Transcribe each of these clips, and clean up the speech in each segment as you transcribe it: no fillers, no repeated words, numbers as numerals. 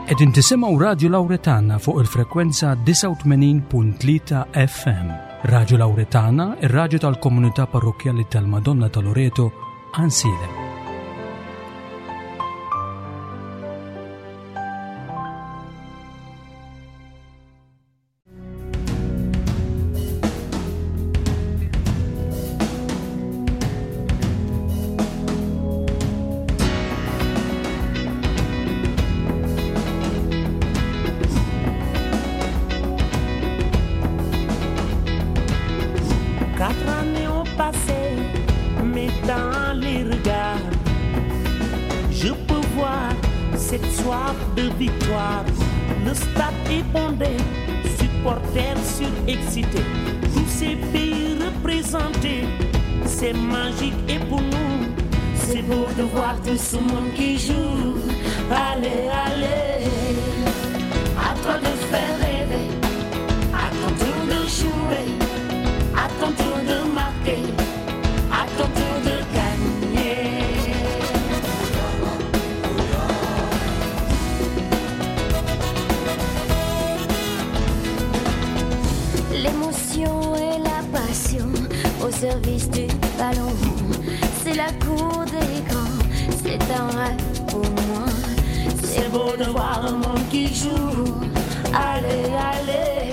Qegħdin tisimgħu Radju Lawretana fuq il-frekwenza 89.3 FM. Radju Lawretana, ir-radju tal-komunità parrokkjali tal-Madonna ta' Loreto, Ansiedem. Je peux voir cette soif de victoire. Le stade est bondé, supporters surexcités. Tous ces pays représentés, c'est magique et pour nous, c'est beau de voir tout ce monde qui joue. Allez, allez, à toi de faire rêver, à ton tour de jouer, à ton tour de marquer, à ton tour de gagner. L'émotion et la passion au service du ballon. C'est la cour des grands, c'est un rêve pour moi. C'est beau de voir un monde qui joue. Allez, allez,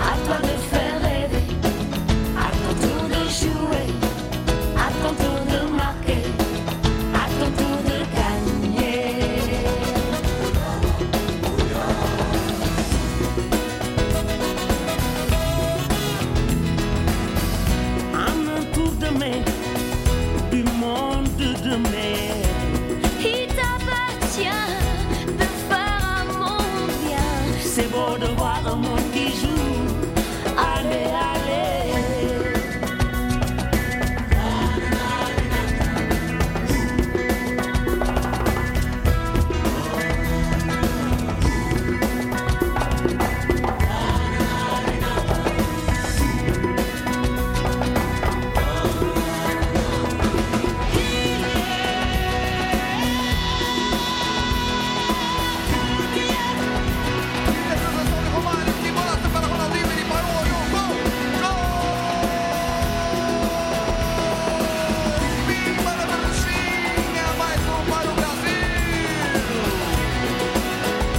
à toi de faire rêver, à ton tour de jouer, à ton tour de marquer, à ton tour de gagner. En un tour de main, du monde de mer. Il t'appartient de faire un monde bien. C'est beau de voir un monde qui joue. Allez, allez.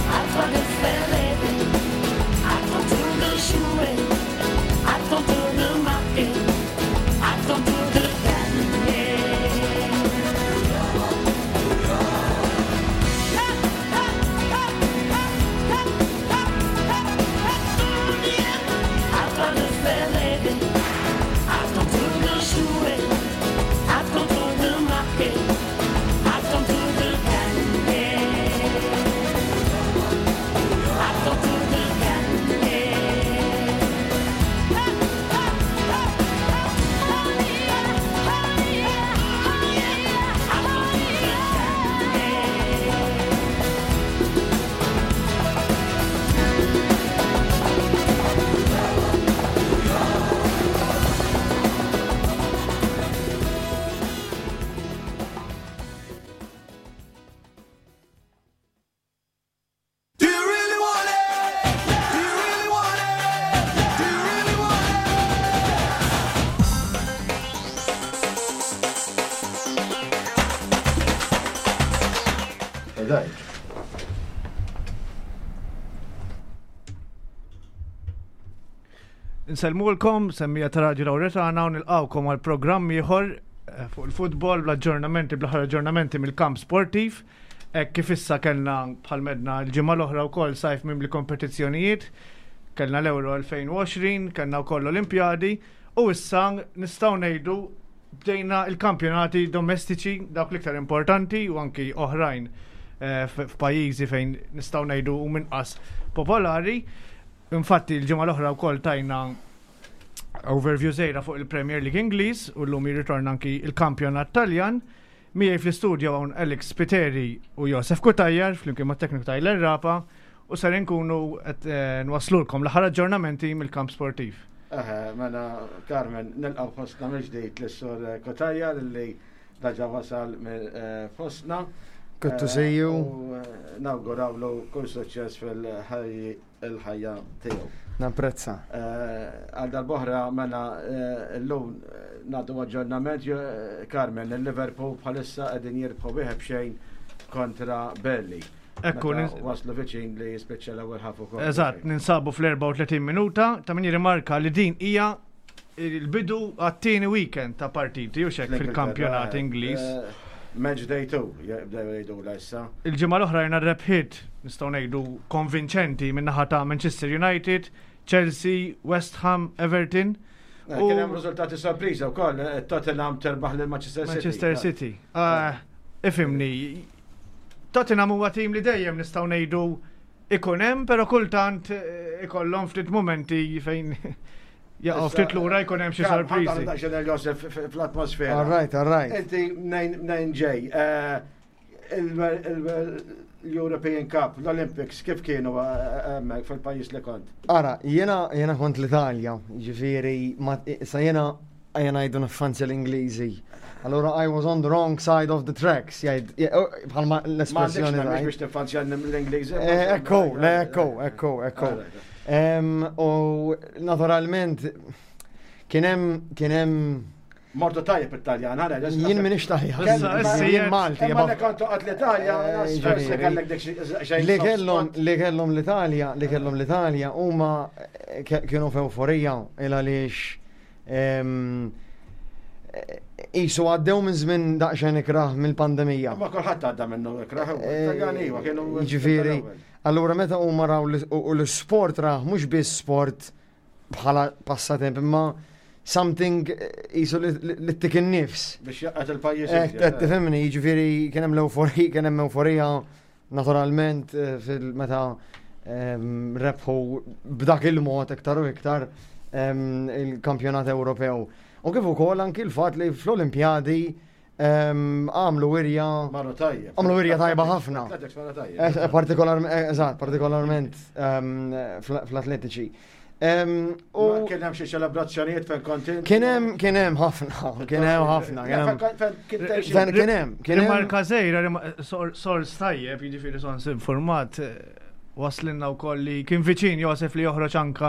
À toi de faire rêver, à ton tour de jouer, à ton tour de marquer, à ton tour de gagner. À toi de faire rêver, à ton tour de jouer, à ton tour de marquer, à ton tour de gagner. À ton tour de gagner. Do you really want it? Do you really want it? Do you really want it? Insellmulkom, semmija ta' Radio Lauretana u nilqawkom għal programm ieħor eh, fuq il-futbol bl-aġġornamenti bl-aħħar aġġornamenti mill-kamp sportiv. Hekk kif issa kellna bħal medna l-ġimgħa l-oħra wkoll sajf mimli kompetizzjonijiet, kellna l-Euro 2020, kellna wkoll l-Olimpjadi u issa nistgħu ngħidu bdejna il-kampjonati domestiċi dawk l-iktar importanti u anki oħrajn eh, f'pajjiżi fejn nistgħu ngħidu u minqas popolari. Infatti l-ġimgħa l-oħra wkoll tajna overview żgħira fuq il-Premier League Ingliż u llum jirritorna anki il-kampjonat Taljan. Miegħi fl-istudio hawn Alex Spiteri u Josef Cutajar flimkien mat-tekniku Tyler Rapa u ser inkunu qed eh, nwaslulkom l-aħħar aġġornamenti mill-kamp sportiv. Eħe, mela Carmen, nilqgħu fostna mill-ġdid lis-sur Cutajar li daġa wasal eh, fostna. Good to see you. U nawgurawlu kull suċċess fil-ħajja tiegħu. Napprezza. Għal darb'oħra mela llum nagħtu aġġornament Carmen, il-Liverpool bħalissa qegħdin jirbħu wieħed b'xejn kontra Burnley. Ekku, waslu viċin li jispiċċa l-ewwel ħaf ukoll. Eżatt, ninsabu fl-34 minuta, ta' min jirrimarka li din hija il-bidu għat-tieni weekend ta' partiti u xek fil-kampjonat Ingliż. Match day 2, jibdew jgħidu la issa. Il-ġimgħa l-oħra rajna rebħiet nistgħu ngħidu konvinċenti min-naħa ta' Manchester United, Chelsea, West Ham, Everton. Kien hemm riżultati sorpriża wkoll, Tottenham terbaħ lil Manchester City. Manchester City. Ifhimni, Tottenham huwa tim li dejjem nistgħu ngħidu ikun hemm, però kultant ikollhom ftit momenti fejn jaqgħu ftit lura jkun hemm xi sorpriżi. Ħa Josef fl-atmosfera. All right, all right. Inti mnejn ġej. L-European Cup, l-Olympics, kif kienu hemmhekk fil-pajjiż li kont? Ara, jiena kont l-Italja, ġifieri, sa jiena jiena jgħidu niffanzja l-Ingliżi. Allora I was on the wrong side of the tracks, jgħid, bħalma l-espressjoni. Ma biex tiffanzja l-Ingliżi. Ekku, le, ekku, ekku, ekku. U naturalment kien hemm kien hemm Mortu tajjeb it-Taljan, ħana. Jien minix Taljan. Jien Malti. Ma li kontu għad l-Italja, kellek dik xejn. Li kellhom li kellhom l-Italja, li kellhom l-Italja huma kienu f'ewforija il għaliex Isu għaddew minn żmien daqsxejn ikrah mill-pandemija. Ma kulħadd għadda minnu ikrah, Taljani iva kienu. Ġifieri, allura meta huma raw u l-sport rah mhux biss sport bħala passatemp imma something jisu li tik in-nifs. Biex jaqgħet il-pajjiż. Qed tifhimni, jiġifieri kien hemm l-euforija, kien hemm euforija naturalment fil-meta rebħu b'dak il-mod iktar u iktar il-kampjonat Ewropew. U kif ukoll anki l-fatt li fl-Olimpjadi għamlu wirja. Marru tajjeb. Għamlu wirja tajba ħafna. Eżatt, partikolarment fl-atletiċi. U kien hemm xi ċelebrazzjonijiet fejn kont int? Kien hemm kien hemm ħafna, kien hemm ħafna. Kien hemm, kien hemm. Rimarka żgħira, sors tajjeb, jiġifieri sors informat, waslinna wkoll li kien viċin Josef li joħroġ anka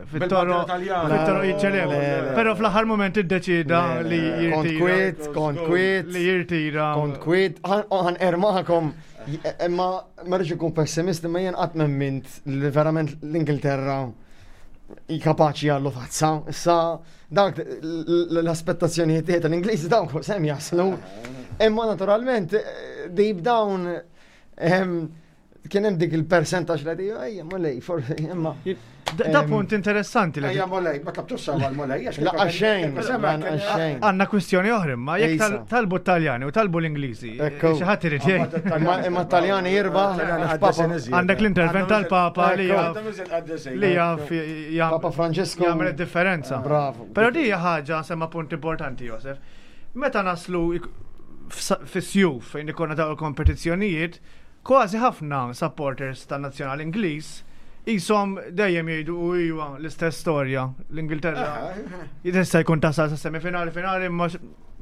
fit-toro fit-toro jiċċelebra. Però fl-aħħar mument iddeċida li jirtira. Kont kwiet, kont kwiet. Li jirtira. Kont kwiet, ħan ermakom. Imma ma rridx ikun pessimist imma jien qatt m'emmint li verament l-Ingilterra kapaċi jgħallu tazza. Issa dak l-aspettazzjonijiet tiegħi tal-Ingliżi dawk sem jaslu. Imma naturalment deep down kien hemm dik il-percentaġġ li ejja molej, forsi imma. Da punt interessanti li. Ejja molej, ma tlabtux sewa l-molej. Laqqa xejn, xejn. Għandna kwistjoni oħra imma jekk talbu t-Taljani u talbu l-Ingliżi. Xi ħadd irid jgħid. Imma t-Taljani jirbaħ. Għandek l-intervent tal-Papa li jaf li jaf Papa Francesco jagħmel id-differenza. Bravo. Però di hija ħaġa semma punt importanti Josef. Meta naslu fis-sjuf fejn ikollna dawn il-kompetizzjonijiet, Kważi ħafna supporters tan-nazzjonal Ingliż qishom dejjem jgħidu u iwa l-istess storja l-Ingilterra. Jista' jkun tasal sa semifinali finali imma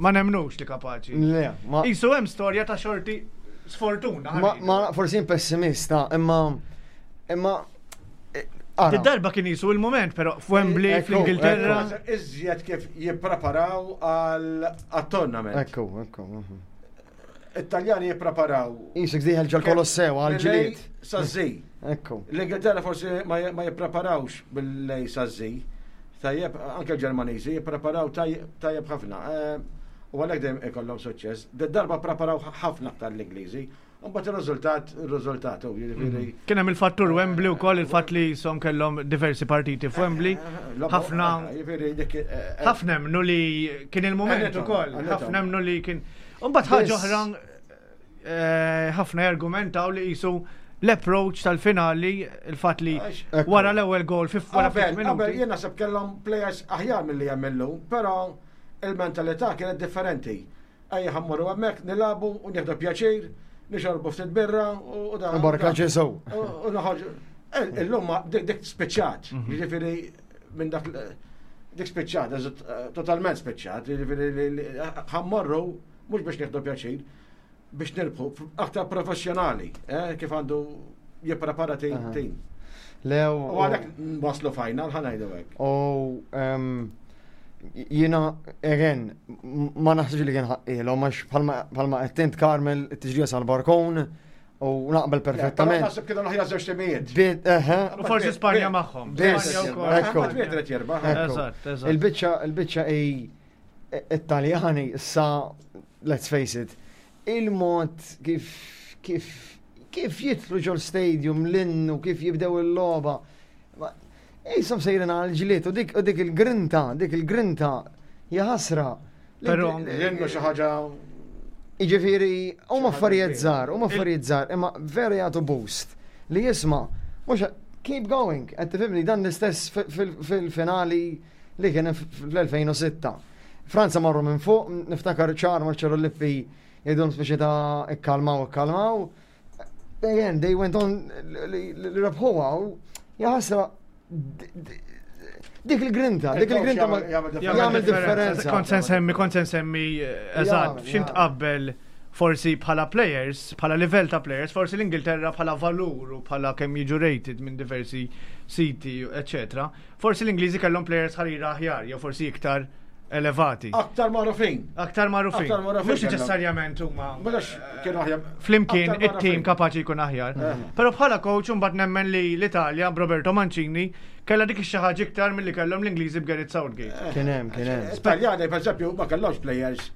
ma nemnux li kapaċi. Le, ma. Qisu hemm storja ta' xorti sfortuna. Ma forsi jien pessimista, imma imma Id-darba kien jisu il-moment, pero f'Wembley, fl-Ingilterra. Iżjed kif jippreparaw għal-tournament. Ekku, ekku. It-Taljani jippreparaw. Isek diħel ġol Kolossew għal ġlied. Sa zi. Ekku. L-Ingilterra forsi ma jippreparawx bil-lej sa zi. Tajjeb, anke l-Ġermaniżi jippreparaw tajjeb ħafna. Eh, u għalhekk dejjem ikollhom suċċess. Darba preparaw ħafna aktar l-Ingliżi. Mbagħad ir-riżultat, ir-riżultat, u jiġifieri. Mhm. Kien hemm il-fattur Wembley wkoll il-fatt li jisom kellhom diversi partiti f'Wembley. Eh, eh, ħafna eh, ħafna emmnu li kien il-mument ukoll, ħafna emmnu li kien. Mbagħad ħaġa oħra ħafna jargumentaw li qisu l-approach tal-finali, il-fatt li wara l-ewwel gol fi wara ftit minuti. Jien naħseb kellhom players aħjar milli hemm illum, però il-mentalità kienet differenti. Ejja ħa mmorru hemmhekk nilagħbu u nieħdu pjaċir, nixorbu ftit birra u da. Barka Ġesu. U noħorġu. Illum dik spiċċat, mhm. jiġifieri minn dak dik spiċċat, eh, totalment spiċċat, jiġifieri ħammorru mhux biex nieħdu pjaċir. biex nirbħu, aktar professjonali, eh, kif għandu jipprepara tim. Lew. U għalhekk waslu final ħa ngħidu hekk. U jiena again ma naħsibx li kien ħaqqilhom għax bħalma qed int Carmel it-tiġrija sal-barkon u naqbel perfettament. Naħseb kienu l-aħjar żewġ timijiet. U forsi Spanja magħhom. Il-biċċa il-biċċa hi it-Taljani issa let's face it, il-mod kif kif kif jidħlu ġol stadium l-innu, kif jibdew il-logħba. Jisom sejrin għal ġlied u dik u dik il-grinta, dik il-grinta jaħasra. Però l-innu xi ħaġa Jiġifieri huma affarijiet żgħar, huma affarijiet żgħar, imma vera jagħtu boost li jisma' mhux keep going, qed tifhimni dan l-istess fil-finali li kien fl-2006. Franza marru minn fuq, niftakar ċar Marcello Lippi jgħidhom speċi ta' ikkalmaw, ikkalmaw. Again, they went on li rebħuha u jaħasra dik il-grinta, dik il-grinta jagħmel differenza. Kont se nsemmi, kont se nsemmi, eh, eżatt, x'int qabbel forsi bħala players, bħala livell ta' players, forsi l-Ingilterra bħala valur u bħala kemm jiġu rated minn diversi siti, eccetera. Forsi l-Ingliżi kellhom players ħarira aħjar, jew forsi iktar elevati. Aktar magħrufin. Aktar magħrufin. Aktar magħrufin. Mhux neċessarjament huma. Mhux kienu aħjar. Flimkien it-tim kapaċi jkun aħjar. Eh. Però bħala coach imbagħad nemmen li l-Italja b'Roberto Mancini kellha dik ix-xi ħaġa iktar milli kellhom l-Ingliżi b'Gareth Southgate. Eh. Kien hemm, kien hemm. Italjani pereżempju ma kellhomx players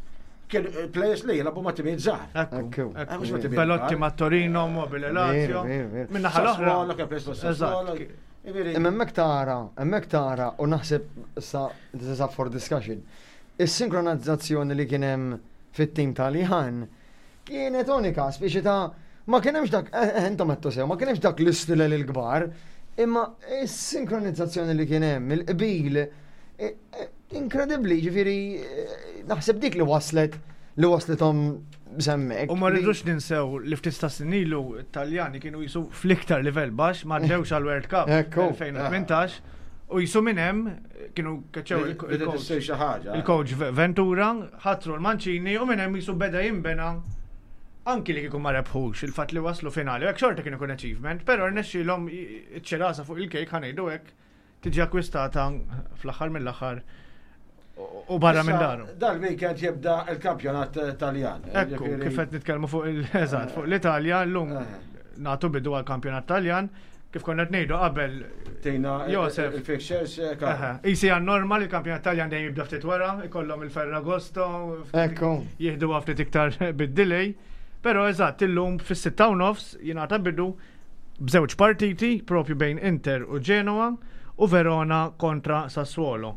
kien eh, players li jilagħbu ma' timijiet żgħar. Ekku. Belotti ma' Torino, Mobile Lazio. Minna ħal-oħra. Imma hemmhekk tara, hemmhekk tara u naħseb sa this is up for discussion. Is-sinkronizzazzjoni li kien hemm fit-tim Taljan kienet unika, speċi ta' ma kien hemmx dak, eh, eh, intom qed sew, ma kien hemmx dak l-istilel il-kbar, imma is-sinkronizzazzjoni li kien hemm, il-qbil, eh, inkredibbli, ġifieri naħseb dik li waslet li waslithom semmek. U ma rridux ninsew li ftit ta' snin ilu Taljani kienu jisu fl-iktar livell baxx ma għaddewx għal World Cup 2018 u jisu minn hemm kienu keċew il-coach Ventura, ħatru l-Mancini u minn hemm jisu beda jimbena anki li kieku ma rebħux il-fatt li waslu finali, hekk xorta kien ikun achievement, però rnexxielhom iċ-ċirasa fuq il-kejk ħanejdu hekk tiġi akkwistata fl-aħħar mill-aħħar u barra minn daru. Dal-weekend jibda il-kampjonat Taljan. Ekku, kif qed nitkellmu fuq il-eżatt, fuq l-Italja llum eh. nagħtu bidu għall-kampjonat Taljan. Kif konna qed ngħidu qabel Tejna Josef. Il-fixtures. Eh, Isi għan normal il-kampjonat Taljan dejjem jibda ftit wara, ikollhom il-Ferragosto. Ekku. Jieħdu ftit iktar bid-delay. Però eżatt illum fis-sitta u nofs jingħata bidu b'żewġ partiti propju bejn Inter u Genoa u Verona kontra Sassuolo.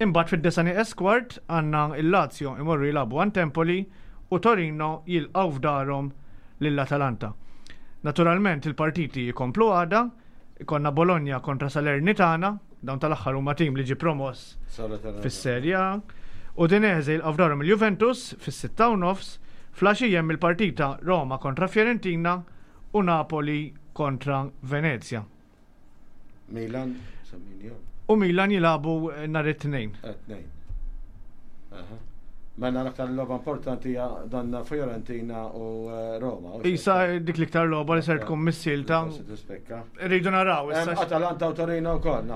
Imbagħad fid-disa' nieqes kwart għandna l-Lazio imorru jilagħbu għand Empoli u Torino jilqgħu f'darhom lil Atalanta. Naturalment il-partiti jkomplu għada, ikollna Bologna kontra Salernitana, dawn tal-aħħar huma tim li ġie promoss fis-Serie A, Udinese jilqgħu f'darhom il-Juventus fis-6:30, fl-għaxija hemm il-partita Roma kontra Fiorentina u Napoli kontra Venezia. Milan, semmini U Milan jilagħbu nhar it-Tnejn. Eh, tnejn. Mela l-aktar logħba importanti hija dan Fiorentina u eh, Roma. Isa dik l-iktar logħba li ser tkun missilta. Rridu naraw issa. Atalanta u Torino wkoll.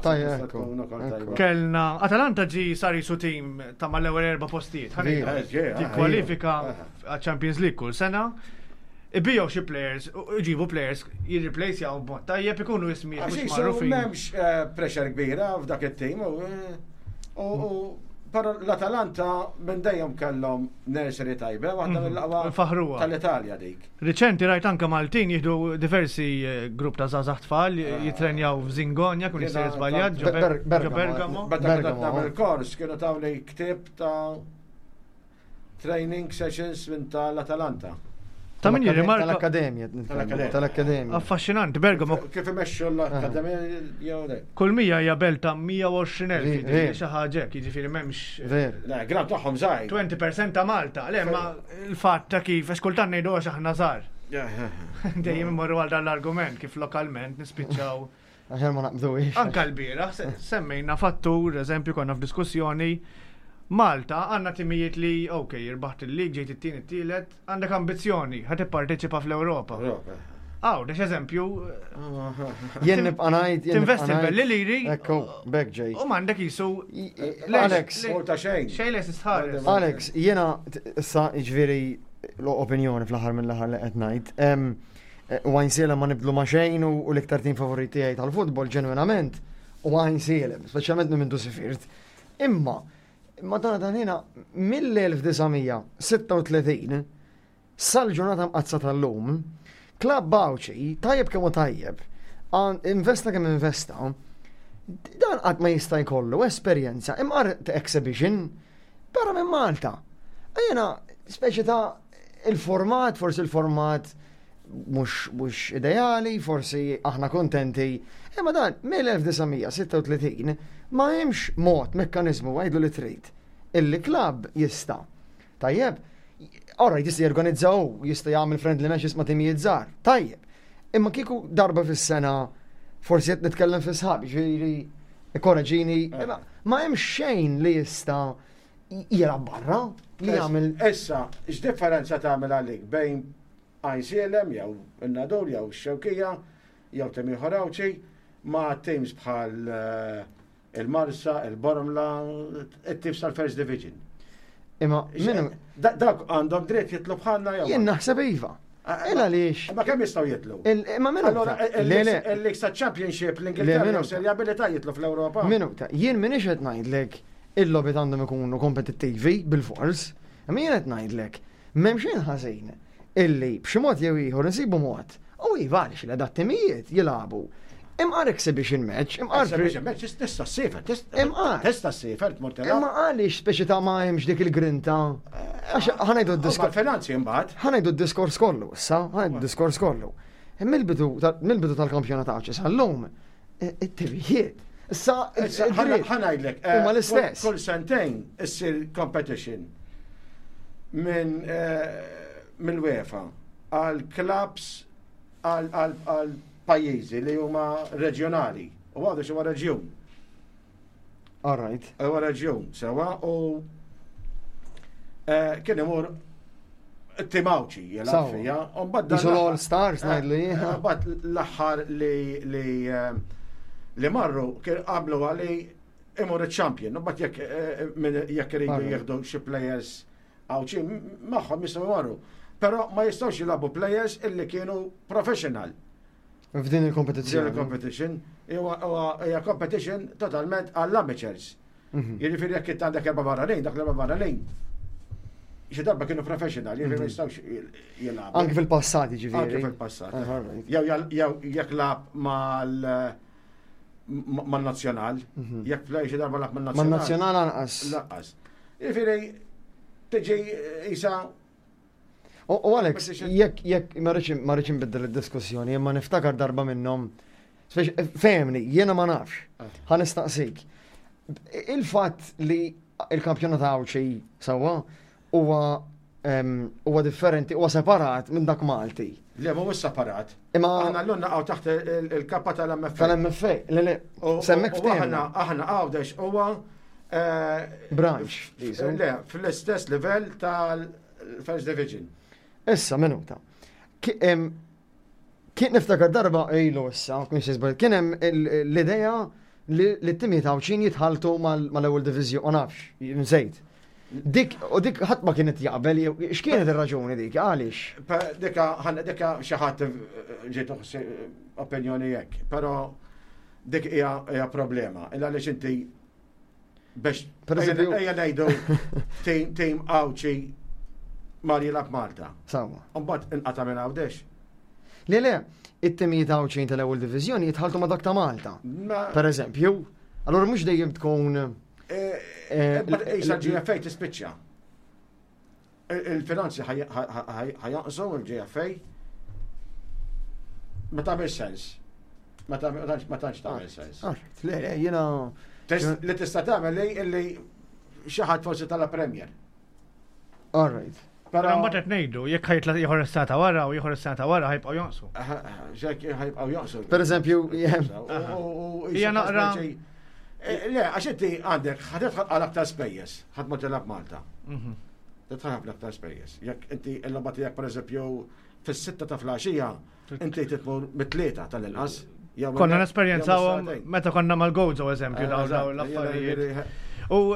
Kellna Atalanta ġi sar jisu tim ta' mal-ewwel erba' postijiet. Eh, Tikkwalifika għal-Champions League kull sena. Ibijaw xi players, iġibu players jirreplacejaw b'mod tajjeb ikunu ismijiet mhux magħrufin. M'hemmx eh, pressure kbira f'dak it-tim u però l-Atalanta minn dejjem kellhom nursery tajba, waħda mhm. mill-aqwa tal-Italja dik. Riċenti rajt anke Maltin jieħdu diversi eh, grupp ta' żgħażagħ tfal ah. jitrenjaw f'Zingonja kun jista' żbaljat ġo Bergamo. Meta kont nagħmel kors kienu tawni ktieb ta' Training sessions minn tal-Atalanta. Ta' min jirrimarka. Tal-Akkademja. Tal-Akkademja. Affaxxinanti, Bergamo. Kif imexxu l-Akkademja jew le. Kull mija hija belt ta' 120,000, jiġifieri xi ħaġa hekk, jiġifieri m'hemmx. Ver. Le, gran tagħhom żgħir. 20% ta' Malta, le ma l-fatt ta' kif għax kultant ngħidu għax aħna żgħar. Dejjem immorru għal dan l-argument kif lokalment nispiċċaw. Aħjar ma naqbduhiex. Anka l-bieraħ semmejna fattur, eżempju konna f'diskussjoni. Malta għandna timijiet li, ok, irbaħt il-lig, ġejt it-tieni t-tielet, għandek ambizzjoni, ħa tipparteċipa fl-Ewropa. Għawdex eżempju. Jien nibqa' ngħid. Tinvesti l-belli liri. Ekku, bek ġej. U m'għandek jisu. Alex. Ta' xejn. Xejn les istħares. Alex, jiena issa jiġifieri l-opinjoni fl-aħħar mill-aħħar li qed ngħid. U Għajnsielem ma nibdlu ma' xejn u l-iktar tim favorit tiegħi tal-futbol ġenwinament u Għajnsielem, speċjalment minn mindu sifirt. Imma, Madonna dan jiena mill-1936 sal-ġurnata mqaddsa tal-lum, klabb Għawdxi, tajjeb kemm hu tajjeb, investa kemm investa, dan qatt ma jista' jkollu esperjenza imqar ta' exhibition barra minn Malta. Jiena speċi ta' il-format, forsi il-format mhux ideali, forsi aħna kontenti, imma dan mill-1936 ma hemmx mod, mekkaniżmu għidlu li trid, illi klabb jista' tajjeb, all right jista' jorganizza hu, jista' jagħmel friendly matches ma' timijiet żgħar, tajjeb. Imma kieku darba fis-sena forsi qed nitkellem fi sħab, ġifieri ikkoreġini, imma ma hemmx xejn li jista' jilgħab barra li jagħmel. Issa, x'differenza tagħmel għalik bejn Għajnsielem jew in-Nadur jew ix-Xewkija jew tim ieħor Għawdxi ma' teams bħal il-Marsa, il-Bormla, it-teams tal-First Division. Imma minnu. Dak għandhom dritt jitlu bħalna jew. Jien naħseb iva. Il għaliex. Ma kemm jistgħu jitlu? Imma minnu. Allora, il-League ta' Championship l-Ingilterra serjabilità jitlu fl-Ewropa. Minuta, jien minix qed ngħidlek il-logħbiet għandhom ikunu kompetittivi bil-fors, imma jien qed ngħidlek M'hemm xejn ħażin illi b'xi mod jew ieħor insibu mod, u iva għaliex le dat-timijiet jilagħbu imqar exhibition match, imqar Exhibition match tista' ssiefer, Imqar. tista' ssiefer tmur tilgħab. Imma għaliex speċi ta' ma hemmx dik il-grinta? Għax ħa ngħidu d-diskors. Finanzi imbagħad. Ħa ngħidu d-diskors kollu issa, ħa ngħidu d-diskors kollu. Mill-bidu mill-bidu tal-kampjonat Għawdxi sal-lum, it-timijiet. Issa, ħa ngħidlek. Eh, huma l-istess. Kull sentejn issir competition minn eh, mill-UEFA għal clubs għal pajjiżi li huma reġjonali. U għadu huwa reġjun. All right. Huwa reġjun, sewa u eh, kien imur Timawċi jilgħab fija. Isu l-All Stars eh, ngħidlu jien. Eh, mbagħad l-aħħar li li eh, li marru kien qablu għali imur iċ-champion. Mbagħad jekk jekk iridu jieħdu xi players Għawdxi magħhom jistgħu jmorru. Però ma jistgħux jilagħbu players illi kienu professional. F'din il-kompetizzjoni. Din il-competition. Hija competition totalment għall-amateurs. Mhm. Jiġifieri jekk int għandek erba' barranin, dak l-erba' barranin xi darba kienu professional, jiġifieri ma mhm. jistgħux jilagħbu. Anki fil-passat jiġifieri. Anki fil-passat. Jew jekk lab mal man-nazzjonal, mhm. jekk play xi darba lab man-nazzjonal. Man-nazzjonal anqas. Lanqas. Jiġifieri tiġi isa U Alex, jekk jekk ma rridx inbiddel id-diskussjoni, imma niftakar darba minnhom Fehmni, jiena ma nafx. Ah. Ħa nistaqsik. Il-fatt li il-kampjonat Għawdxi sewwa huwa huwa differenti, huwa separat minn dak Malti. Le, mhuwiex separat. Imma aħna llum naqgħu taħt il-kappa tal-MFA. Tal-MFA, le le. Semmek aħna aħna Għawdex huwa eh, branch. Le, fl-istess livell tal-First Division. Issa minuta. Kien niftakar darba ilu issa, kien xi żball, kien hemm l-idea li t-timijiet Għawdxin jitħalltu mal-ewwel diviżjoni, ma nafx, nsejt. Dik, u dik ħadd ma kienet jaqbel, x'kienet ir-raġuni dik, għaliex? Dika, dika xi ħadd ġiet opinjoni hekk, però dik hija problema, illa għaliex inti Biex, per eżempju, ejja ngħidu tim Għawdxi mar jilgħab Malta. Sawa. Mbagħad inqata' minn Għawdex. Le le, it-timijiet Għawdxin tal-ewwel diviżjoni jitħaltu ma' dak ta' Malta. Per eżempju, allura mhux dejjem tkun. Eh, eh, eh, Isa GFA tispiċċa. Il-finanzi ħajonqsu il-GFA. Ma tagħmel sens. Ma tantx tagħmel sens. Ah, le, le, jiena. Li tista' tagħmel li illi xi ħadd forsi tala Premier. All right. Però mbagħad qed ngħidu jekk ħajtla ieħor is-sena ta' wara u ieħor is-sena ta' wara ħajbqgħu jonqsu. Ġek ħajbqgħu jonqsu. Per eżempju, hija naqra. Le, għax inti għandek, ħa tidħol għal aktar spejjeż, ħadd ma tilgħab Malta. Tidħol ħafna aktar spejjeż. Jekk inti l-logħba tiegħek pereżempju fis-sitta ta' filgħaxija, inti titmur mit-tlieta tal-inqas. jew Konna jew nesperjenzawhom mis-sagħtejn. meta konna mal-Gozo eżempju Eh, dawn eżatt, dawn l-affarijiet. jiena- U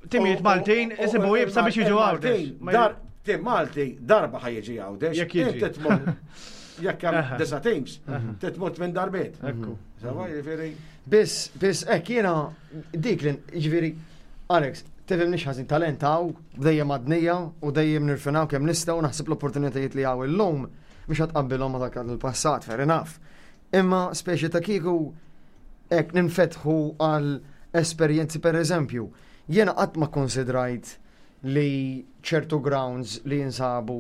timijiet Maltin isibu jibsa biex jiġu Il-Maltin, Għawdex. Dar, tim Malti darba ħa jiġi Għawdex. Jekk jiġi. Inti tmur, jekk hemm disa' teams, titmur minn darbiet. Ekku. Sewa, jiġifieri. Biss, biss, ek, jiena dik li, ġifieri, Alex, tifhimnix ħażin talent hawn, dejjem għadnija u dejjem nirfinaw kemm nistgħu naħseb l-opportunitajiet li hawn illum mhux ħa tqabbilhom ma dak il-passat, fair enough. Imma speċi ta' kieku hekk ninfetħu għal esperjenzi per eżempju, jiena qatt ma konsidrajt li ċertu grounds li jinsabu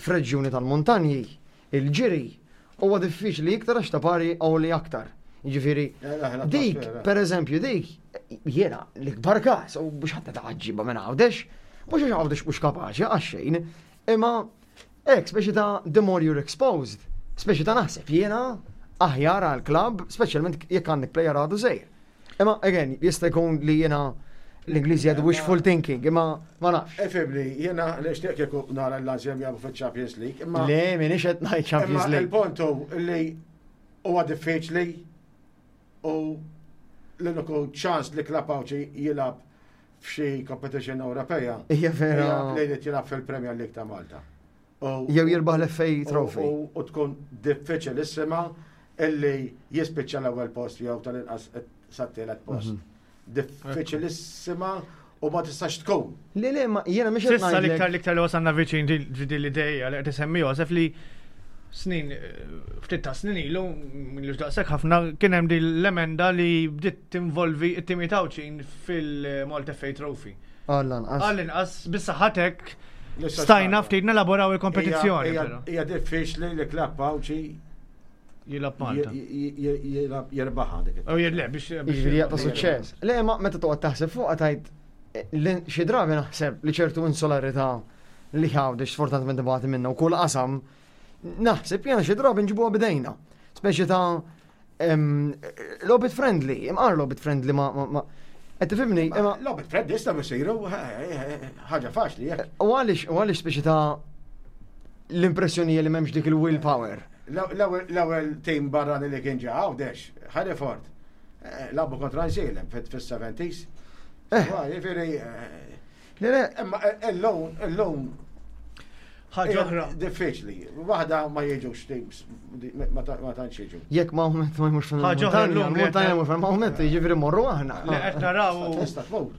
f'reġjuni tal-montanji, il-ġiri huwa diffiċli iktar għax ta' pari li aktar. Jiġifieri, dik, per eżempju, dik, jiena l-ikbar każ, u biex ħadd taħġiba minn Għawdex, mhux għax Għawdex mhux kapaċi għax xejn, imma hekk speċi ta' the more you're exposed, speċi ta' naħseb jiena aħjar għal klabb, speċjalment jekk għandek player għadu żgħir. Imma again, jista' jkun li jiena l-Ingliżi għadu wishful thinking, imma ma nafx. Ifhimni, jiena nixtieq kieku nara l-Lazio jilagħbu fil-Champions League, imma Le, minix qed ngħid Champions imma League. il-punt hu li huwa diffiċli u l-uniku ċans li klabb Għawdxi jilgħab f'xi competition Ewropea. Hija vera. hija Li jrid jilgħab fil-Premier League ta' Malta. U- Jew jirbaħ l-FA Trophy. U tkun diffiċilissima illi jispiċċa l-ewwel post jew tal-inqas sat-tielet post. Diffiċilissima u ma tistax tkun. Le, le, ma jiena mhux qed S'issa ngħidlek. l-iktar l-iktar li wasalna viċin din l-ideja li qed isemmi Josef li snin, ftit ta' snin ilu, milux daqshekk ħafna, kien hemm din l-emenda li bdiet tinvolvi it-timijiet Għawdxin fil-Malta FA Trophy. Għall-anqas. Għall-inqas, bis-saħħatek L-istess stajna ħaġa. ftit nelaboraw il-kompetizzjoni. Hija- però. Hija diffiċli li klabb Għawdxi Jilgħab Malta. jilgħab jirbaħha dik. U le, biex. Jiġifieri jaqta' suċċess. Le, ma meta toqgħod taħseb fuqha tajt li xi drabi naħseb li ċertu insularità li Għawdex sfortunatament ibati minna u kull qasam naħseb jiena xi drabi nġibuha bidejna. Speċi ta' logħbiet friendly, imqar logħbiet friendly ma ma qed tifhimni, imma Logħbiet friendly jistgħu jsiru ħaġa faċli jekk. u għaliex u għaliex speċi ta' l-impressjoni li m'hemmx dik il-willpower. L-ewwel team barrani li kien ġa Għawdex, Hereford, lagħbu kontra Għajnsielem fis-70s. Jiġifieri Le, le, imma illum illum Ħaġa oħra. Diffiċli. Waħda ma jiġux teams, ma tantx jiġu. jekk ma ma jmurx Ħaġa oħra fil-montanja, llum li montanja qed- mhux fil-Mahomet, jiġifieri morru aħna. Li qed naraw Tista' tmur.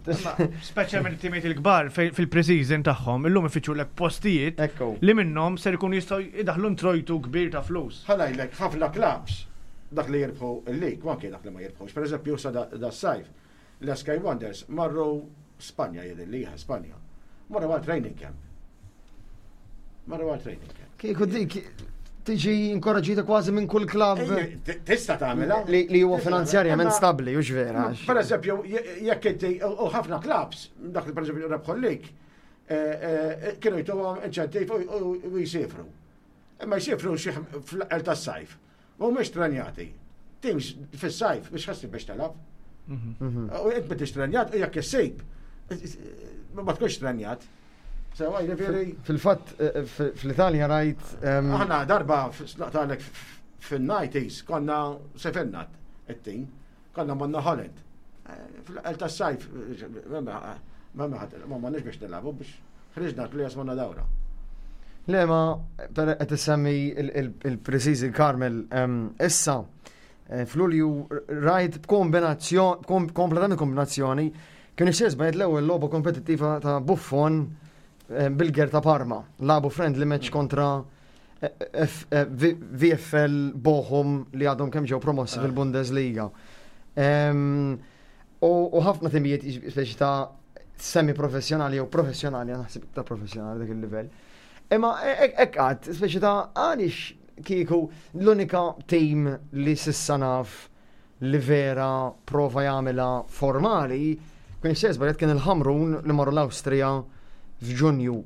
speċjalment it-timijiet il-kbar fil-pre-season tagħhom, illum ifittxu lek postijiet Ekku. li minnhom ser ikunu jistgħu jdaħlu introjtu kbir ta' flus. Ħa ngħidlek ħafna clubs dak li jirbħu il-lig, u anke dak li ma jirbħux. Per eżempju, sa da sajf, l-Sky Wonders marru Spanja jidhirli, Spanja. Marru għal training camp. Marru għal training camp. Kieku dik tiġi inkoraġġita kważi minn kull klabb Ej, Tista' tagħmilha. li huwa Tista' finanzjarjament tagħmilha. stabbli, hux vera. għax- Per eżempju, jekk inti, u ħafna clubs, dak li per eżempju rebħu l-lig, kienu jtuhom inċentiv u jisifru. Imma jisifru xi fl-aqel tas-sajf. U mhux trenjati. Teams fis-sajf biex ħassib biex telab. U int m'intix trenjat, u jekk issib, ma tkunx trenjat. Sewa, jiġifieri. Fil-fatt, fl-Italja rajt. Aħna darba naqtalek fil-90s konna sefirna it-tim, konna morna Holland. Fl-aqel tas-sajf, ma ma ma nix biex nilagħbu biex ħriġna players morna dawra. Le, ma per qed issemmi il-pre-season Carmel issa f'Lulju rajt b'kombinazzjoni, kompletament kombinazzjoni, kien issir żbajt l-ewwel logħba kompetittiva ta' Buffon bil-ger ta' Parma. Lagħbu friendly match kontra VFL Bochum li għadhom kemm ġew promossi fil-Bundesliga. U ħafna timijiet speċi ta' semi-professjonali jew professjonali, naħseb ta' professjonali dak il-livell. Imma hekk għad, speċi ta' għaliex kieku l-unika team li s'issa naf li vera prova jagħmilha formali, kien xejn żbaljat kien il-Ħamrun li marru l-Awstrija f'Ġunju.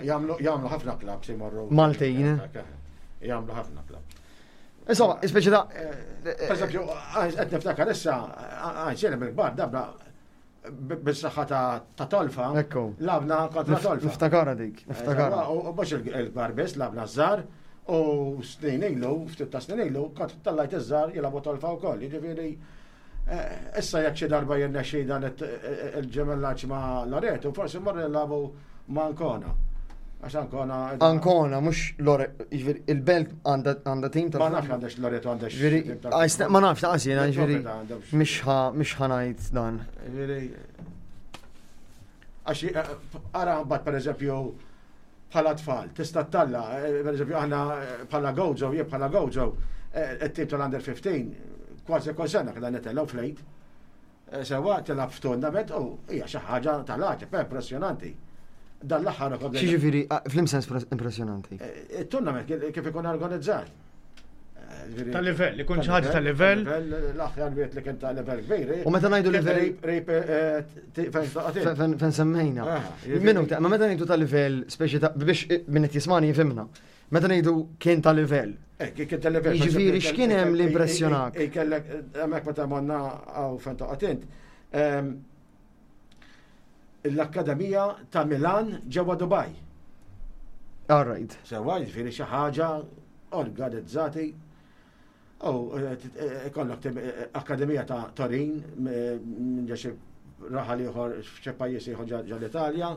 Jagħmlu ħafna clubs imorru. Maltin. Jagħmlu ħafna clubs. Insomma, speċi ta' Per eżempju, qed niftakar issa, għajn bil-kbar dabna bis-saħħa ta' tolfa. Ekku. Labna kontra tolfa. Niftakara dik, niftakara. U mhux il-kbar biss, labna żgħar u snin ilu, ftit ta' snin ilu, kont tallajt iż-żgħar jilagħbu tolfa wkoll. Jiġifieri issa jekk xi darba jirnexxi dan il-ġemellaġġ ma' Loreto, forsi mmorru nilagħbu ma' Ancona. Għax Ancona. Ancona, mhux Loreto, jiġifieri il-belt għandha tim ta' Ma nafx għandax Loreto għandax. Jiġifieri, ma nafx ta' jiena, jiġifieri mhix ħa ngħid dan. Jiġifieri għax ara mbagħad pereżempju bħala tfal, tista' talla, pereżempju aħna bħala Gozo, jien bħala Gozo, it-tim tal-under 15, kważi kull sena kien nitellgħu flejt. Sewa tilgħab f'tournament u hija xi ħaġa tal-għaġeb, impressjonanti. Dan l-aħħar ukoll. Xiġifieri, fl-imsens impressjonanti. Il-tournament kif ikun organizzat. Ta' livell, ikun xi ħaġa ta' livell. L-aħjar wieħed li kien ta' livell kbir. U meta ngħidu livell. Fejn semmejna. Minuta, ma meta ngħidu ta' livell, speċi ta' biex min qed jismani jifhimna. Meta ngħidu kien ta' livell. Kien ta' livell. Jiġifieri x'kien hemm li impressjonak? Kellek hemmhekk meta morna hawn fejn toqgħod int. L-Akkademija ta' Milan ġewwa Dubai. All right. Sewa, jiġifieri xi ħaġa organizzati. U ikollok Akkademija ta' Torin minn ġo xi raħal ieħor f'xi pajjiż ieħor ġo l-Italja.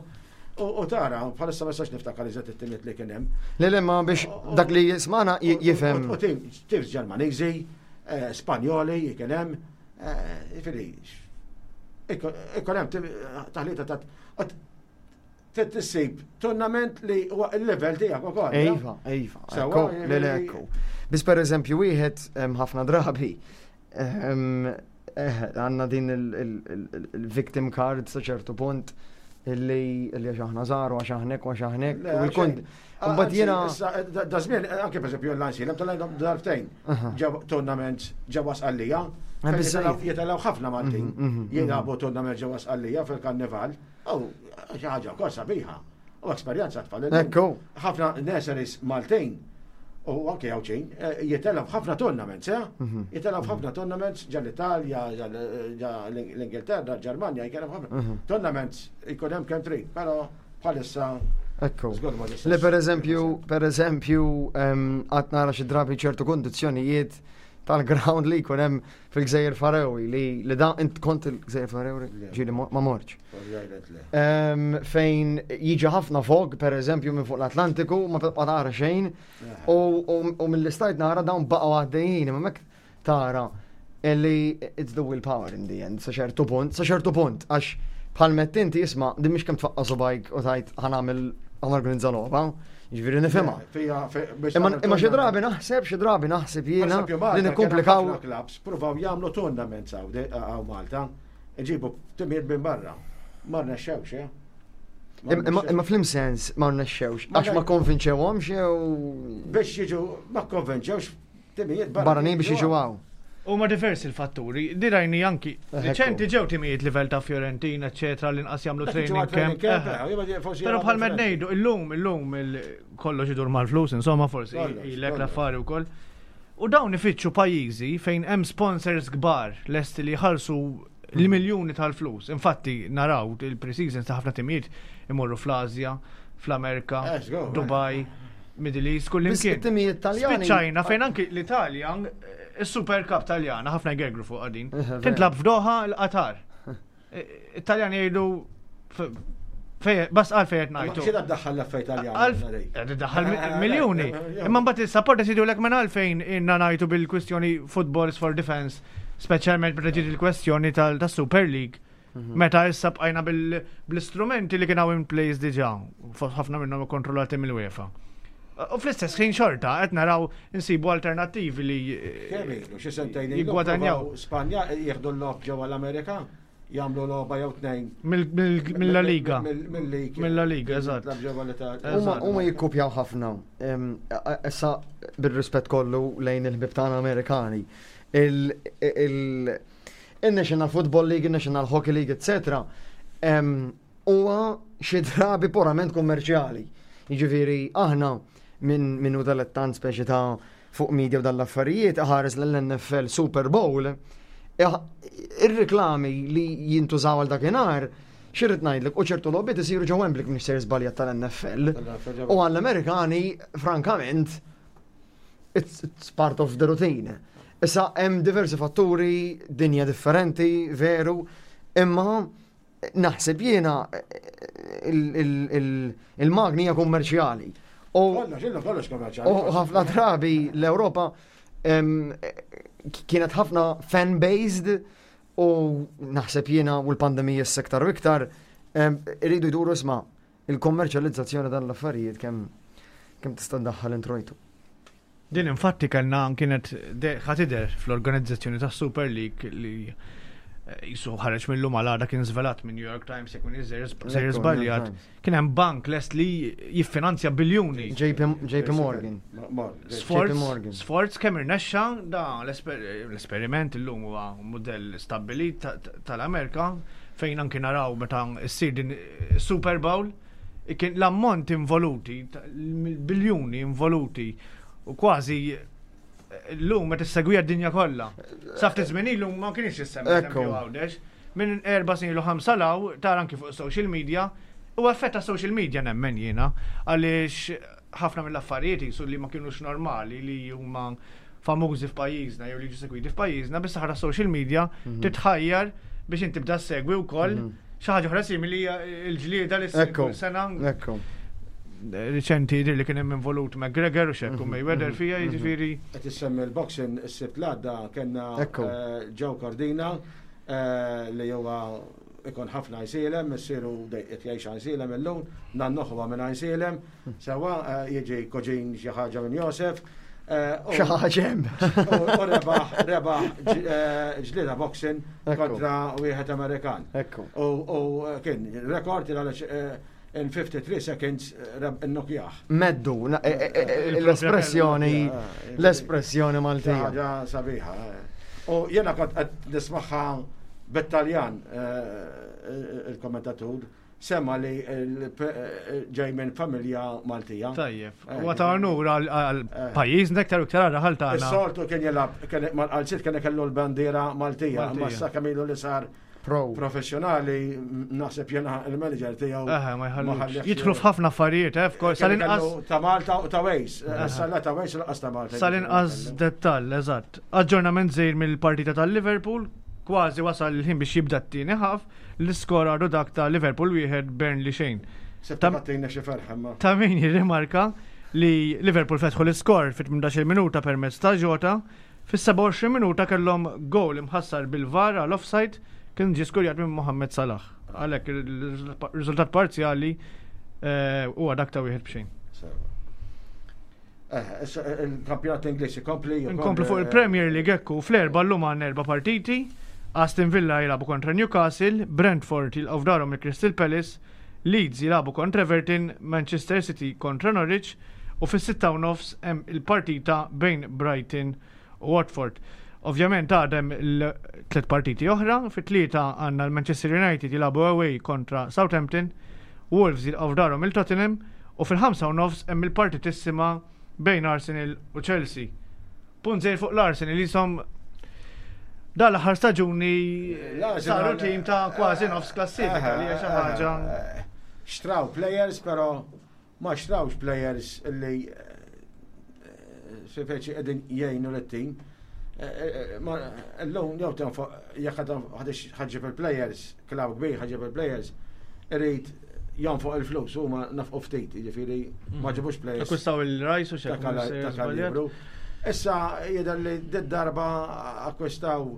U tara, bħalissa ma nistax niftakar eżatt it-timiet li kien hemm. Le le ma biex dak li jismana jifhem. U teams Ġermaniżi, Spanjoli kien hemm, jiġifieri ikun hemm taħlita ta' trid issib tournament li huwa il-level tiegħek ukoll. Iva, iva. Ekku, le le ekku. Biss pereżempju wieħed ħafna drabi għandna din il-victim card sa ċertu punt illi għax aħna żgħar u għax aħnek u għax aħnek. U l-kont. Mbagħad jiena. Da żmien anke pereżempju l-Lansi, hemm tal darbtejn ġew tournaments ġewwa Sqallija. Jitilgħu ħafna Maltin jilagħbu tournament ġewwa Sqallija fil-Karnival. U xi ħaġa wkoll sabiħa. U esperjenza tfal. Ekku. Ħafna nurseries Maltin u anke Għawdxin jitilgħu ħafna tournaments, eh? Jitilgħu ħafna tournaments ġa l-Italja, ġa l-Ingilterra, Ġermanja, jkun hemm ħafna tournaments jkun hemm kemm trid, però bħalissa Ekku. Le per eżempju, per eżempju, għad nara xi drabi ċertu kondizzjonijiet tal-ground li jkun hemm fil-Gżejjer Faroe li da int kont il-Gżejjer Faroe ġieli ma morċ. Fejn jiġi ħafna fog, per eżempju, minn fuq l-Atlantiku, ma tibqa' tara xejn, u mill-istajt nara dawn baqgħu għaddejjin, imma mek tara illi it's the willpower in the end, sa ċertu punt, sa ċertu punt, għax bħal mett inti isma' din mhix kemm tfaqqa' subajk u tajt ħa nagħmel ħa norganizza logħba, jiġifieri nifhimha. Imma xi drabi naħseb, xi drabi naħseb jiena li nikkomplikaw. Clubs provaw jagħmlu tournaments hawn Malta, iġibu timijiet minn barra. Ma rnexxewx, eh? Imma flim sens ma rnexxewx, għax ma konvinċewhomx jew. Biex jiġu ma konvinċewx timijiet barranin biex jiġu hawn. Huma diversi l-fatturi. Dirajni anki. Riċenti ġew timijiet livell ta' Fiorentina, eċetera, l-inqas jagħmlu training camp. Però bħal med ngħidu, illum, illum kollox idur mal-flus, insomma, forsi ilek l-affari wkoll. U dawn ifittxu pajjiżi fejn hemm sponsors kbar lesti li jħallsu l-miljuni tal-flus. Infatti naraw il-pre-season ta' ħafna timijiet imorru fl-Asja, fl-Amerika, Dubai, Middle East, kull imkien. Timijiet Taljani. Spiċċajna fejn anki l-Italja, is-Super Cup Taljana, ħafna jgergru fuq din. Tintlab f'Doha l-Qatar. Italjani jgħidu bas għal fejn ngħidu. Xi daħħal l-affarijiet Taljani? Daħħal miljuni. Imma mbagħad is-supporters jgħidu lek minn għalfejn inna ngħidu bil-kwistjoni Footballs for Defence, speċjalment meta ġiet il-kwestjoni tas-Super League. Meta issa bqajna bl-istrumenti li kien hawn in place diġà, ħafna minnhom ikkontrollati mill-UEFA. U fl-istess ħin xorta qed naraw insibu alternattivi li Kemm ilu, xi sentejn ilu jiggwadanjaw. provaw Spanja jieħdu l-logħob ġewwa l-Amerika, jagħmlu logħba jew tnejn. Mill-La Liga. Mill-Liga. Mill-La Liga, eżatt. Jitlab ġewwa l-Italja. Huma jikkupjaw ħafna. Issa bir-rispett kollu lejn il-ħbieb tagħna Amerikani. Il-National Football League, il-National Hockey League, eccetera, huwa xi drabi purament kummerċjali. Jiġifieri aħna minn hu dilettant speċi ta' fuq media u dal-affarijiet, ħares l-NFL Super Bowl, ir-reklami li jintużaw għal dakinhar, xirrit ngħidlek, u ċertu logħbiet isiru ġo Wembley minn sejr żbaljat tal-NFL. U għall-Amerikani, frankament, it's, it's part of the routine. Issa hemm diversi fatturi, dinja differenti, veru, imma naħseb jiena il-magni hija kummerċjali. U ħafna drabi l-Ewropa kienet ħafna fan-based u naħseb jiena u l-pandemija s-sektar u iktar iridu jduru isma' il-kommerċjalizzazzjoni dan l-affarijiet kemm kemm tista' ddaħħal introjtu. Din infatti kellna kienet ħatider fl-organizzazzjoni tas Super League li eh, jisu ħareġ mill-lum għal kien żvelat minn New York Times jekk minn sejjer żbaljat. Kien hemm bank lest li jiffinanzja biljuni. JP Morgan. Sforz kemm irnexxa da l-esperiment illum huwa mudell stabbilit tal-Amerika fejn anki naraw meta ssir din Super Bowl kien l-ammont involuti, biljuni involuti u kważi l-lum meta issegwija d-dinja kollha. Sa ftit żmien ilu ma kienx issemmi eżempju Għawdex. Minn 4 snin ilu 5 law tara anki fuq social media u effett ta' social media nemmen jiena għaliex ħafna mill-affarijiet jisu li ma kienux normali li huma famużi f'pajjiżna jew li jiġu segwiti f'pajjiżna bis-saħħa ta' social media titħajjar biex inti tibda segwi wkoll xi ħaġa oħra simili hija l-ġlieda li ssir kull sena. Ekku. Riċenti jidher li kien hemm involut McGregor u xekku Mayweather fija jiġifieri. Qed issemmi l-boxing is-Sibt l-għadda kellna Ekku. Joe Cordina li huwa ikun ħafna Għajnsielem, missieru qed jgħix Għajnsielem illum, nannuh huwa minn Għajnsielem, sewwa jiġi kuġin xi ħaġa minn Josef. Xi ħaġa hemm. U rebaħ rebaħ ġlieda boxing kontra wieħed Amerikan. Ekku. U kien rekord għaliex in 53 seconds innokjah. Meddu, l-espressjoni l-espressjoni Maltija. Ħaġa sabiħa. U jiena kont qed nismagħha bit-Taljan il-kommentatur semma li ġej minn familja Maltija. Tajjeb. U ta' onur għal pajjiżna iktar u iktar għal raħal tagħna. Is-soltu kien jilgħab mal-qalziet kien ikellu l-bandiera Maltija, imma issa kemm ilu li sar Pro. Professjonali, naħseb jena il-manager tiegħu. Eħe, ma jħallux. Jidħlu f'ħafna affarijiet, eh, f'kol. Sal-inqas. Ta' Malta u ta' Wales. Issa la ta' Wales u laqas ta' Malta. Sal-inqas dettall, eżatt. Aġġornament żgħir mill-partita tal-Liverpool, kważi wasal il-ħin biex jibda t-tieni ħaf, l-iskor għadu dak ta' Liverpool 1 Burnley xejn. Se tagħtina xi ferħ imma. Ta' min jirrimarka li Liverpool fetħu l-iskor fit-18 minuta permezz ta' Jota, Fis-27 minuta kellhom gowl imħassar bil-VAR għal offside kien ġie skurjat minn Mohamed Salah. Għalhekk ir-riżultat parzjali huwa dak ta' 1-0. Il-kampjonat Ingliż ikompli. Inkomplu fuq il-Premier League ekku fl-erba' llum għandna erba' partiti. Aston Villa jilagħbu kontra Newcastle, Brentford jilqgħu f'darhom il-Crystal Palace, Leeds jilagħbu kontra Everton, Manchester City kontra Norwich u fis-6:30 hemm il-partita bejn Brighton u Watford. Ovvjament għad hemm il-tliet partiti oħra, fit-tlieta għandna l-Manchester United jilagħbu away kontra Southampton, Wolves jilqgħu f'darhom il Tottenham u fil-5:30 hemm il-partitissima bejn Arsenal u Chelsea. Punt żgħir fuq l-Arsenal jisom dan l-aħħar staġuni saru tim ta' kważi nofs klassifika li hija xi ħaġa. Xtraw players però ma xtrawx players li speċi qegħdin jgħinu lit-tim. Illum jew tenfoq jekk ħaġġib il-players, klaw kbir ħaġġib il-players, irid jonfoq il-flus huma nafqu ftit, jiġifieri ma ġibux players. Akkwistaw il-Rice u x'hekk. Issa jidher li darba akkwistaw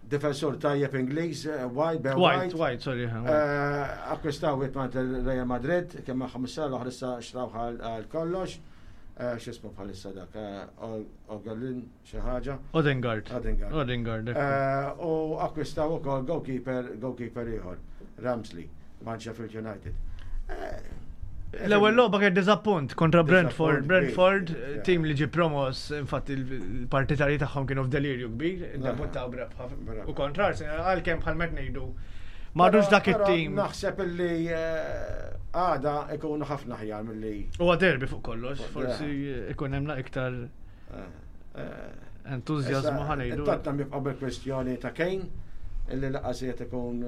difensur tajjeb Ingliż, White, Ben White. White, sorry. Akkwistaw wieħed Real Madrid, kemm magħhom is-sena l-oħra issa xtraw għal kollox. X'ismu bħalissa dak, Ogalin xi ħaġa. Odegaard. Odegaard. Odegaard. U akkwistaw ukoll goalkeeper, goalkeeper ieħor, Ramsley, man Sheffield United. L-ewwel logħba kien diżappunt kontra Brentford. Brentford, tim li ġie promos, infatti il-partitarji tagħhom kienu f'delirju kbir, iddebuttaw b'rebħa. U kontra Arsenal għalkemm bħal met ngħidu m'għadux dak it-tim. Naħseb illi għada ikunu ħafna aħjar milli. Huwa derby fuq kollox, forsi ikun hemm iktar. Entużjażmu ħa ngħidu. Tottenham jibqa' bil-kwestjoni ta' Kane illi laqas qed ikun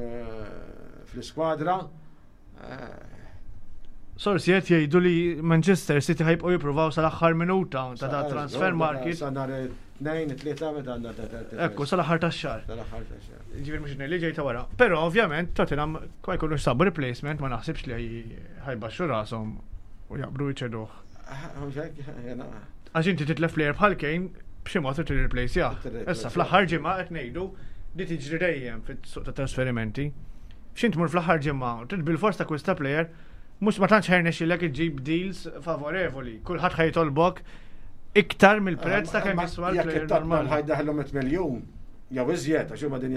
fl-iskwadra. Sorsi qed jgħidu li Manchester City ħa jibqgħu jippruvaw sal-aħħar minuta ta' da transfer market. Sa nhar it-Tnejn, it-Tlieta meta għandna ta' Ekku, sal-aħħar tax-xahar. Sal-aħħar tax-xahar. Ġifieri mhux li ġejta wara. Però ovvjament Tottenham ma jkunux sabu replacement ma naħsibx li ħa jbaxxu rashom u jaqbdu jċeduh. Għax inti titlef player bħal Kane b'xi mod trid tirreplacejah. Issa fl-aħħar ġimgħa qed ngħidu li tiġri dejjem fis-suq ta' trasferimenti. X'int tmur fl-aħħar ġimgħa trid bil-fors takkwista player mhux ma tantx ħa jirnexxilek iġġib deals favorevoli. Kulħadd ħa jitolbok iktar mill-prezz ta' kemm jiswa Jekk l-player it-Tottenham normali. ħa jdaħlu 100 miljun jew iżjed, għax huma din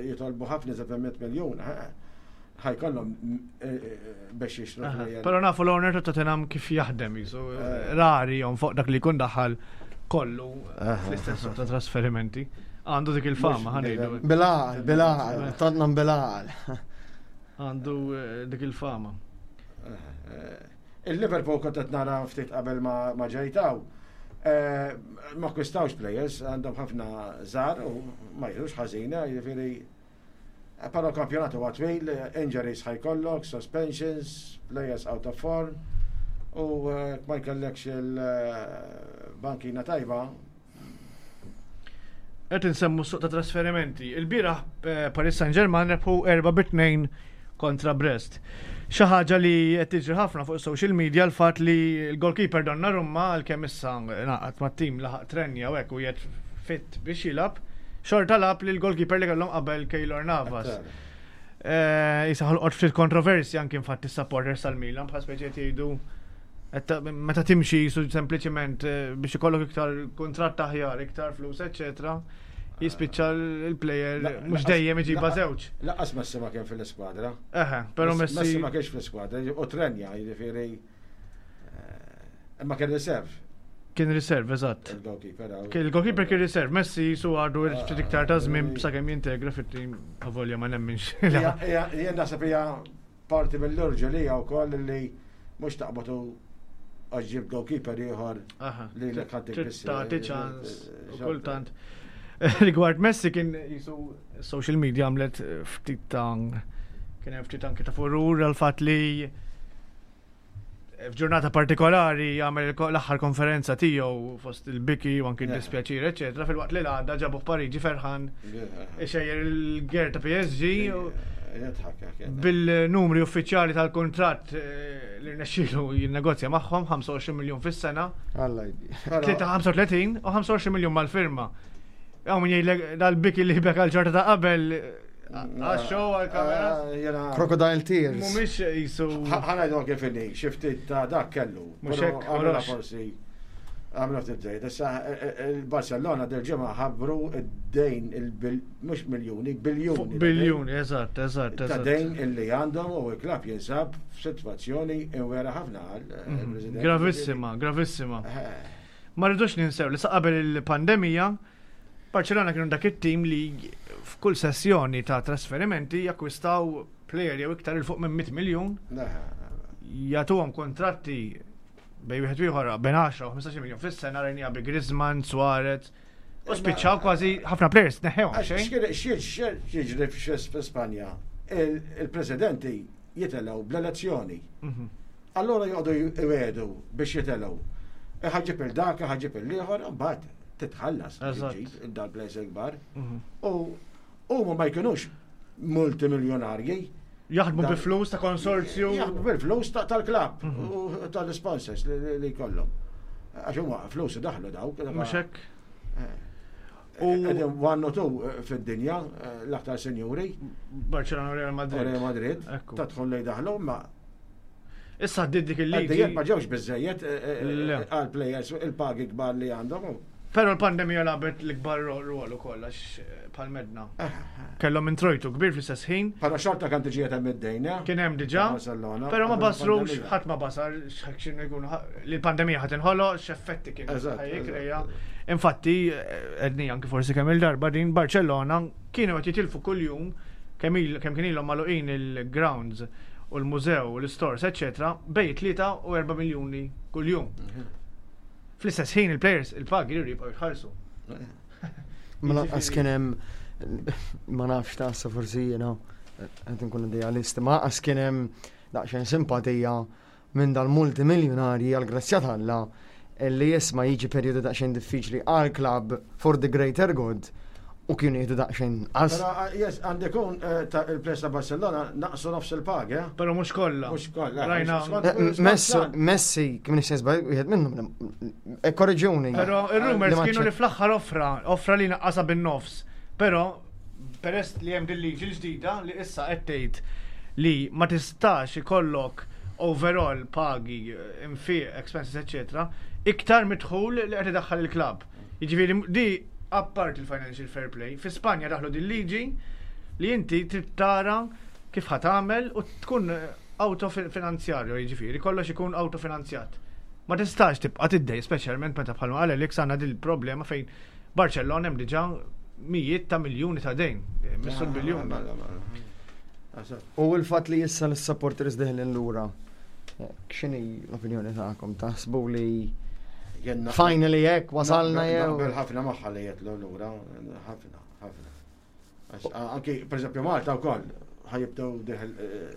jitolbu ħafna iżjed minn 100 miljun, ħa jkollhom biex jixtru player. Però nafu l-owner ta' Tottenham kif jaħdem jisu rari jom fuq dak li jkun daħal kollu fl-istess suq ta' trasferimenti. Għandu dik il-fama, Mhux ħa ngħidu. Bil-għaqal, bil-għaqal, Tottenham bil-għaqal. Għandu dik il-fama. Il-Liverpool kont qed nara ftit qabel ma ġejtaw. Ma akkwistawx players, għandhom ħafna żgħar u ma jidhrux ħażina, jiġifieri però l-kampjonat huwa twil, injuries ħa jkollok, suspensions, players out of form u ma jkollekx il-bankina tajba. Qed insemmu suq ta' trasferimenti. Il-bieraħ Paris Saint-Germain rebħu 4-2 kontra Brest. Xi ħaġa li qed tiġri ħafna fuq social media l-fatt li l-goalkeeper Donnarumma għalkemm issa ngħaqad mat-tim laħaq trenja u hekk u qiegħed fit biex jilgħab, xorta lagħab li l-goalkeeper li kellhom qabel Keylor Navas. Issa ħolqot ftit kontroversja anki infatti s-supporters tal-Milan bħal speċi qed jgħidu meta timxi jisu sempliċiment biex ikollok iktar kuntratt aħjar, iktar flus, eċetera, jispiċċa l-player mhux dejjem iġibha żewġ. Lanqas Messi ma kien fil-iskwadra. Eħe, però Messi Messi ma kienx fl-iskwadra, u trenja, jiġifieri imma kien reserve. Kien reserve, eżatt. Il-goalkeeper. Il-goalkeeper kien reserve, Messi jisu għadu ftit iktar ta' żmien sakemm jintegra fit-tim avolja ma nemminx. Jien naħseb hija parti mill-urġelija wkoll li mhux taqbatu għax ġib goalkeeper ieħor li l ħadd Trid tagħti ċans u kultant. Rigward Messi kien jisu social media għamlet ftit ta' kien hemm ftit anke ta' furur għal fatt li f'ġurnata partikolari għamel l-aħħar konferenza tiegħu fost il-biki u anki d-dispjaċir, eċetera, filwaqt li l-għada ġabuh Pariġi ferħan ixejjer il-gear ta' PSG bil-numri uffiċjali tal-kuntratt li rnexxielu jinnegozja magħhom 25 miljun fis-sena. Alla jdi. 35 u 25 miljun mal-firma. Hawn min jgħidlek dal-biki li beka l-ġorta ta' qabel għax-show għal-kamera. Crocodile tears. Mhumiex jisu. Ħa ngħidu kif inhi, xi ftit ta' dak kellu. Mhux Però hekk, għamilha mhux. forsi għamilha ftit żejt. Issa il-Barcellona dil-ġimgħa ħabbru id-dejn mhux miljuni, biljuni. Biljuni, eżatt, eżatt, Ta' eżatt. dejn illi għandhom u l-klabb jinsab f'sitwazzjoni imwera ħafna għal il-President. Gravissima, gravissima. Ma rridux ninsew li sa qabel il-pandemija, Barcellona kienu dak it-tim li f'kull sessjoni ta' trasferimenti jakkwistaw player jew iktar il fuq minn 100 miljun, jagħtuhom kontratti bejn wieħed u ieħor bejn 10 u 15 miljun fis-sena rajnija bi Griezmann, Suarez, u spiċċaw kważi ħafna players neħewhom xejn. X'jiġri f'Spanja? Il-presidenti jitelgħu bl-elezzjoni. Allora joqogħdu jwedu biex jitelgħu. Ħa ġġib il-dak, ħa ġġib il-ieħor, mbagħad titħallas ġib dal-players il-kbar. U huma ma jkunux multimiljonarji. Jaħdmu bi flus ta' konsorzju. Jaħdmu bil-flus tal-klabb u tal-sponsors li jkollhom. Għax huma flus daħlu dawk. Mhux hekk. U one u two fid-dinja l-aktar senjuri. Barcelona u Real Madrid. Real Madrid. Ta' tħol li daħlu ma Issa għaddiet dik il-liġi. Għaddiet ma ġewx biżejjed għal players il-pagi kbar li għandhom. Però l-pandemija lagħbet l-ikbar rwol ukoll għax bħal medna. Kellhom introjtu kbir fl-istess ħin. Però xorta kan tiġi hemm id-dejn, Kien hemm diġà. Però ma basrux, ħadd ma basar x'kienu jkunu li l-pandemija ħadd inħoloq, x'effetti kien ħajjikreja. Infatti, edni anki forsi kemm il-darba din Barcellona kienu qed jitilfu kuljum kemm kien ilhom magħluqin il-grounds u l-mużew u l-stores, eċetera, bejn 3 u 4 miljuni kuljum. Fl-istess ħin il-players il-pagi jridu jibqgħu jitħallsu. Ma lanqas kien hemm ma nafx ta' sa forsi jiena qed inkun idealist, ma lanqas kien hemm daqsxejn simpatija minn dal-multimiljonarji għall-grazzja t'Alla li jisma' jiġi perjodu daqsxejn diffiċli għal klabb for the greater good u kienu jieħdu daqsxejn inqas. Però ah, yes, għandi kun eh, ta' il-players ta' Barcelona naqsu nofs il-pagi. Eh? Però mhux kollha. Mhux kollha. Rajna. Eh, Messi, kif nixtieq żball, wieħed minnhom. Korreġuni. Però ir-rumors kienu li fl-aħħar offra, offra li naqqasha bin-nofs. Però peress li hemm din liġi l-ġdida li issa qed tgħid li ma tistax ikollok overall pagi, infiq, expenses, eccetera, iktar midħul li qed idaħħal il-klabb. Jiġifieri di apart il-financial fair play, fi Spanja daħlu din liġi li inti trid tara kif ħa tagħmel u tkun autofinanzjarju, jiġifieri kollox ikun autofinanzjat. Ma tistax tibqa' tiddej, speċjalment meta bħalma qal Alex għandna dil problema fejn Barcellona hemm diġà mijiet ta' miljuni ta' dejn, missu l-biljun. U l-fatt li issa l-supporters deħlin lura, x'inhi l-opinjoni tagħkom? Taħsbu li finally hekk wasalna jew? Naqbel ħafna magħha li jitlu lura, ħafna, ħafna. Anki, per eżempju, Malta wkoll ħajibdew deħel eh,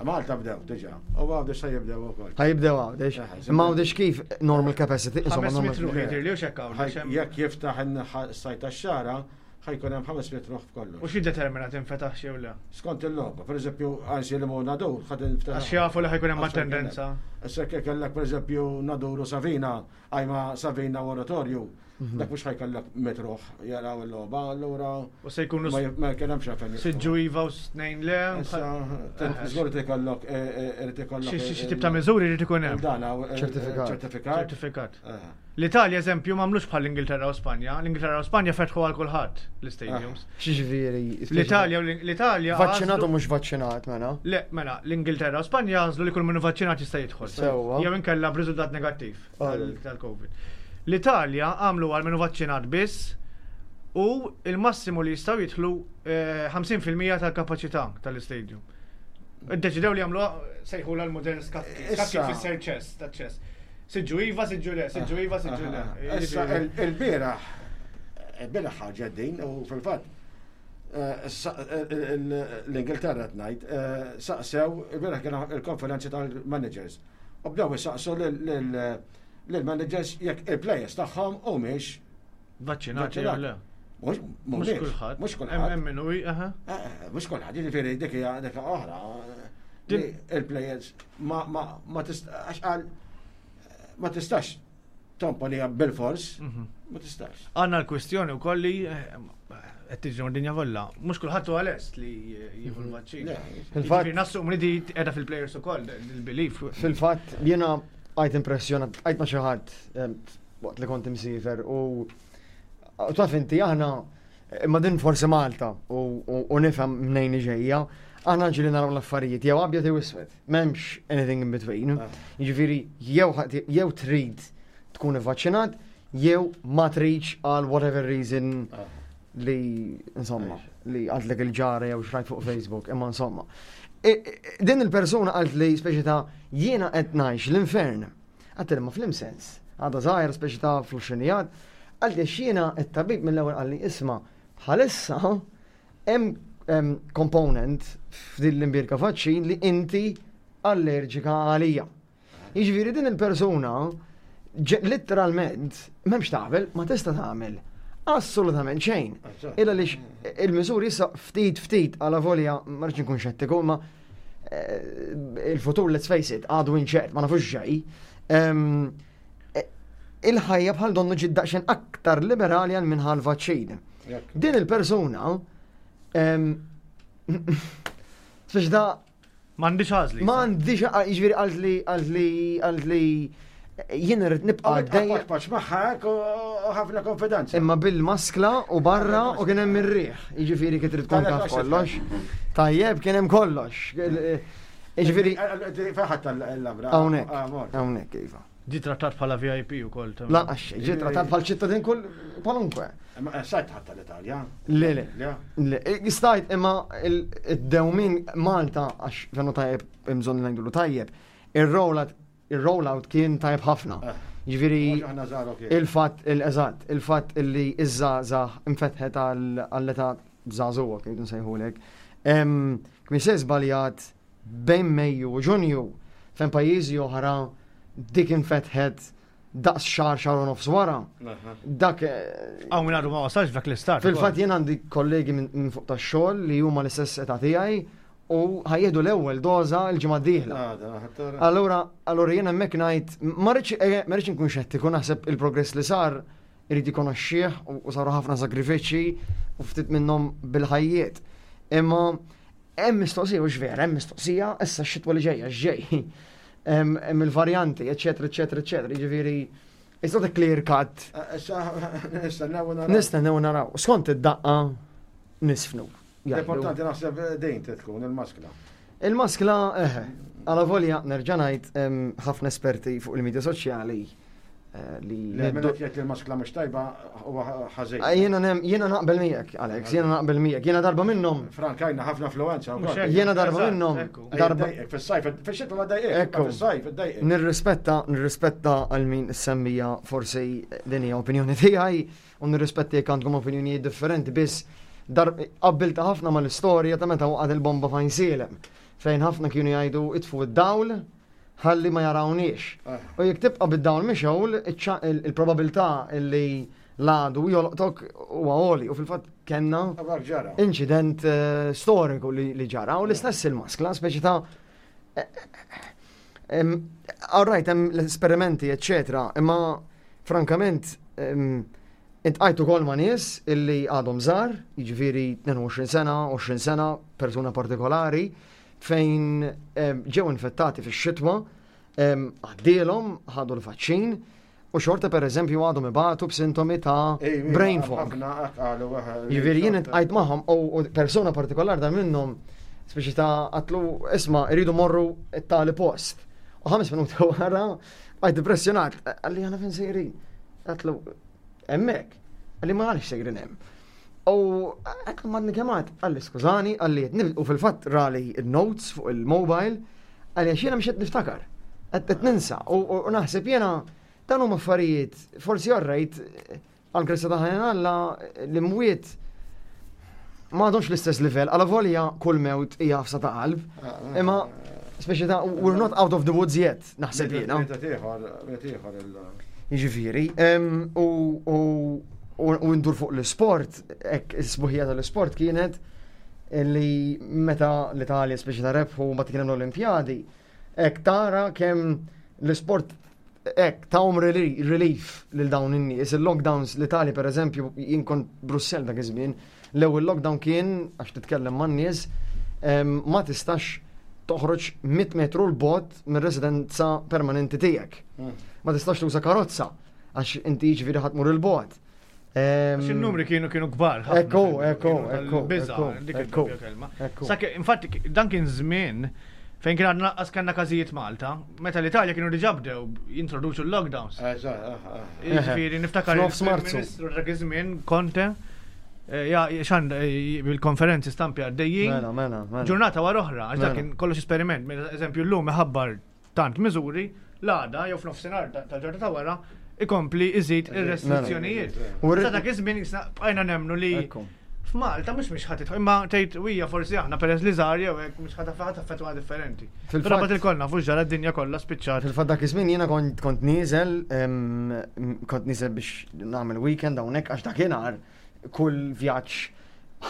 Malta bdew diġà, u għawdex se jibdew ukoll. Ħajibdew għawdex. Imma għawdex kif normal capacity, insomma normal. Jekk jiftaħ in-sajt tax-xara, ħajkun hemm 500 ruħ f'kollox. U xi determina tinfetaħ jew le? Skont il-logħba, pereżempju, għansi li mu Nadur ħad infetaħ. Għax jafu li ħajkun hemm attendenza. Issa jekk kellek pereżempju Nadur u Savina, għajma Savina u Oratorju, mhm. dak mhux ħajkollok metruħ jaraw il-logħba, allura. U se jkunu ma kien hemmx għalfejn. Siġġu iva u snejn le. Żgur irid ikollok eh, irid ikollok. Xi tip ta' miżuri jrid ikun hemm. Ċertifikat. Ċertifikat. Ċertifikat. Eh. L-Italja eżempju m'għamlux bħal l-Ingilterra u Spanja. L-Ingilterra u Spanja fetħu għal kulħadd l-istadiums. Ah, X'ġifieri? L-Italja l-Italja. Vaċċinat u mhux vaċċinat mela? Le, mela, l-Ingilterra u Spanja għażlu li kull min vaċċinat jista' jidħol. Sewwa. Jew inkella b'riżultat negattiv tal-Covid. L-Italja għamlu għal min vaċċinat biss u il-massimu li jistgħu jidħlu 50% eh, tal-kapaċità tal-istadium. Iddeċidew li jagħmlu sejħu l-modern skakki. Skakki fisser ċess, ta' ċess. Siġġu iva, siġġu le, siġġu iva, siġġu le. Issa il-bieraħ, il-bieraħ ħarġet din u fil-fatt eh, eh, l-Ingilterra tnajt eh, saqsew il-bieraħ kien il-konferenzi tal-managers. U bdew isaqsu lill-managers jekk il-players tagħhom humiex Vaċċinati jew le. Mhux kulħadd. Mhux kulħadd. Hemm min hu, aha. Mhux kulħadd, jiġifieri dik hija dik oħra. Il-players ma ma ma tistax qal ma tistax tomponi bil-fors, mhm. ma tistax. Għandna l-kwistjoni wkoll li eh, qed tiġri dinja kollha. Mhux kulħadd huwa lest li jieħu mhm. l-vaċċin. Fil-fatt nassum li di qiegħda fil-players ukoll il-belief. Fil-fatt jiena għajt impressjonat, għajt ma xi ħadd eh, waqt li kont imsiefer u taf inti aħna imma din forsi Malta u nifhem mnejn ġejja, aħna ġili naraw l-affarijiet jew abjad jew iswed, m'hemmx anything in between. Ah. Jiġifieri jew trid tkun ivvaċċinat jew ma tridx għal whatever reason ah. li insomma li għadlek il-ġara jew xrajt fuq Facebook, imma insomma. Din il-persuna qalt li speċi ta' jiena qed ngħix l-infern. Għedtilha ma flim sens. Għadha żgħira speċi ta' fl-għoxrinijat. Qaltli għax jiena t-tabib mill-ewwel qalli isma' bħalissa hemm component f'din l-imbierka vaċċin li inti allerġika għalija. Jiġifieri din il-persuna litteralment m'hemmx tagħmel, ma tista' tagħmel assolutament xejn. Illa li il-miżuri issa ftit ftit għala volja ma rridx nkun xettiku, ma Eh, il-futur, let's face it, għadu inċert, ma nafux ġej. Eh, il-ħajja bħal donnu ġid daqsxejn aktar liberali għal minħal vaċċin. Din il-persuna, speċi da. M'għandix għażli. M'għandix jiġifieri għalt li għalt li għalt li jien irrid nibqa' għaddej. Paċ magħha hekk u ħafna konfidenza. Imma bil-maskla u barra u kien hemm ir-riħ. Jiġifieri kif trid tkun taf kollox. Tajjeb kien hemm kollox. Jiġifieri. Fejn tal-labra. Hawnhekk. Ah, hawnhekk iva. Ġi trattat bħala VIP u koll. Lanqas xejn, ġi trattat bħal ċittadin kull kwalunkwe. Imma eh, stajt ħadd tal-Italja. Le, le. Le, stajt imma id-dewmin Malta għax fenu tajjeb imżon li ngħidulu tajjeb, ir-rollout Ir-rollout kien tajjeb ħafna. Ġifieri Mhux aħna żgħar kien. il-fatt il-eżatt, il-fatt illi iż-żgħażagħ infetħet għall-età żagħżugħa kif nsejħulek. Kien se żbaljat bejn Mejju u Ġunju fejn pajjiżi oħra dik infetħet daqs xahar xahar u nofs wara. Dak Hawn minn għadu ma wasalx f'dak l-istat. Fil-fatt jien għandi kollegi minn fuq tax-xogħol li huma l-istess età tiegħi u ħa jieħdu l-ewwel doża l-ġimgħa d-dieħla. Allura, allura jien hemmhekk ngħid ma rridx inkun xettiku, naħseb il-progress li sar irid ikonoxxih u saru ħafna sagrifiċċji u ftit minnhom bil-ħajjiet. Imma hemm mistoqsija u vera, hemm mistoqsija issa x-xitwa li ġejja x'ġej. Hemm il-varjanti, eċetera, eċetera, eċetera. Jiġifieri it's not a clear cut. Issa nistennew naraw. Nistennew naraw. Skont id-daqqa nisfnu. Jgħidu. L-importanti naħseb din tkun il-maskla. Il-maskla, eħe, għala volja nerġa' ngħid hemm ħafna esperti fuq il-medja soċjali li Le, minn qed jgħid li l-maskla mhux tajba huwa ħażin. Jiena naqbel miegħek, Alex, jiena naqbel miegħek. Jiena darba minnhom. Frank għajna ħafna influenza Mhux wkoll. hekk. Jiena darba Eżatt, minnhom. ekku. Darba Jdejqek fis-sajf, fix-xitwa ma ddejqek, Ekku. fis-sajf iddejqek. Nirrispetta, nirrispetta għal min semmija forsi din hija opinjoni tiegħi u nirrispetti jekk għandkom opinjonijiet differenti biss dar qabbilta ħafna mal-istorja ta' meta waqgħet il-bomba f'Għajnsielem fejn ħafna kienu jgħidu itfu id-dawl ħalli ma jarawniex. U jekk tibqa' bid-dawl mixgħul, il-probabilità li l-għadu jolqtok huwa għoli u fil-fatt kellna Dak ġara. inċident storiku li ġara u l-istess il-maskla, speċi ta' all right, hemm l-esperimenti, eccetera, imma frankament intqajtu kol ma' nies illi għadhom żgħar, jiġifieri 22 sena, 20 sena, persuna partikolari, fejn ġew infettati fix-xitwa, għaddielhom, ħadu l-vaċċin, u xorta per eżempju għadhom ibatu b'sintomi ta' brain fog. Ħafna qalu Jiġifieri jien intqajt magħhom u persuna partikolari dan minnhom speċi ta' għatlu isma' irridu morru t-tali post. U 5 minuti wara għajt impressjonat, għalli għana fejn sejrin. Għatlu hemmhekk, għalli ma għalix sejrin hemm. U għatlu madni kemat, għalli skużani, għalli qed nibd-, u fil-fatt rali il-notes fuq il-mobile, għalli għax jiena mhux qed niftakar, qed ninsa, u naħseb jiena dan huma affarijiet, forsi orrejt, għal grazzja ta' ħajja Alla, l-imwiet ma għadhomx l-istess livell, għala volja kull mewt hija ħafsa ta' qalb, imma speċi ta' we're not out of the woods yet, naħseb jiena. Meta ieħor, meta ieħor il- Jiġifieri, u ndur fuq l-sport, hekk is-sbuħija tal-sport kienet li meta l-Italja speċi ta' rebħu ma kien hemm l-Olimpjadi, hekk tara kemm l-sport hekk tahom relief lil dawn in-nies. Il-lockdowns l-Italja per eżempju, jien kont Brussell dak iż-żmien, l-ewwel lockdown kien għax titkellem man-nies, ma tistax toħroġ 100 metru l-bot mir-residenza permanenti tiegħek. Ma tistax tuża karozza għax inti jiġifieri ħadd mur il-bot. Għax in-numri kienu kbar ħafna. Ekku, Kienu ekku, tal-biża', ekku, ekku, dik ekku, il-doppja kelma. ekku. Sakke, infatti, dan kien żmien fejn kien għadna lanqas kellna każijiet Malta, meta l-Italja kienu diġà bdew jintroduċu l-lockdowns. Jiġifieri niftakar F'nofs Marzu. il-Ministru dak iż-żmien Conte, ja, xan, bil-konferenzi stampi għaddejjin. Mela, mela, mela. Ġurnata wara oħra, għax dak Mela. kien kollox esperiment. Mela, eżempju, llum iħabbar tant miżuri, l-għada jew f'nofsinhar tal-ġurnata ta' wara ikompli iżid ir-restrizzjonijiet. U Sa dak iż-żmien bqajna nemmnu li Ekku. f'Malta mhux mhix ħadd imma tgħid hija forsi aħna peress li żgħar jew hekk mhux ħadd ħadd affettwa differenti. Fil-fatt- Però bagħad il-kollna fuq ġara d-dinja kollha spiċċat. Fil-fatt dak iż-żmien jiena kont nieżel, kont nieżel biex nagħmel weekend hawnhekk għax dakinhar kull vjaġġ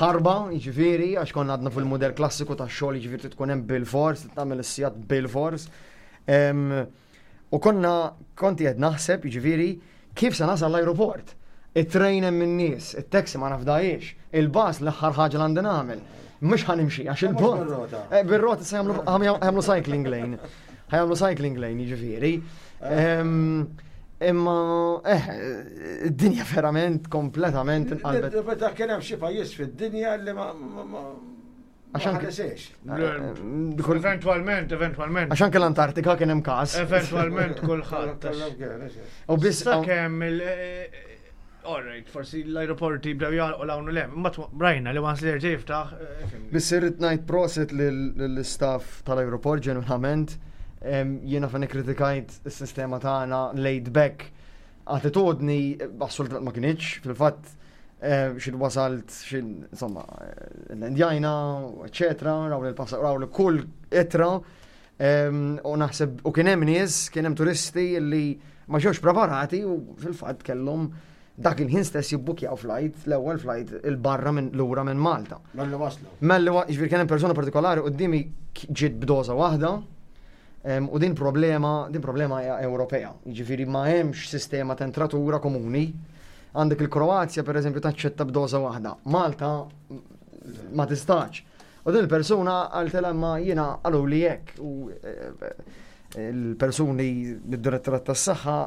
ħarba, jiġifieri, għax konna għadna fil-mudell klassiku tax-xogħol, jiġifieri tkun hemm bil-fors, tagħmel is-sigħat bil-fors. U konti qed naħseb, jiġifieri, kif se nasal l-ajruport. It-train hemm in-nies, it-taxi ma nafdajiex, il-bus l-aħħar ħaġa li għandi nagħmel. Mhux ħanimxi għax Ma mhux il-bot. bir-rota. Bir-rota se jagħmlu cycling lane. Ħajamlu cycling lane, jiġifieri. Imma id-dinja verament kompletament inqalbet. Meta kien hemm xi pajjiż fid-dinja li ma Għax anke- ħaresiex. Eventualment, eventualment. Għax anke l-Antartika kien hemm każ. Eventualment kulħadd. U biss Sakemm il- All right, forsi l-aeroporti bdew jagħlqu l hawn u lem, imma rajna li once li jerġa' jiftaħ, fimni. Biss irrid ngħid proset lill-istaff tal-aeroport ġenwinament. Jiena fejn ikkritikajt is-sistema tagħna laid back attitudni assolutament ma kinitx, fil-fatt xi wasalt xi insomma l-Indjajna, eċetera, raw li l-passa raw li kull ittra u naħseb u kien hemm nies, kien hemm turisti li ma ġewx preparati u fil-fatt kellhom dak il-ħin stess jibbukjaw flight, l-ewwel flight il-barra minn lura minn Malta. Malli waslu. Malli jiġifieri kien hemm persuna partikolari quddiemi ġiet b'doża waħda u din problema, din problema hija Ewropea. Jiġifieri ma hemmx sistema ta' entratura komuni. Għandek il-Kroazja pereżempju taċċetta b'doża waħda. Malta ma tistax. U din il-persuna qaltilha imma jiena qaluli hekk u il-persuni mid-direttorat tas-saħħa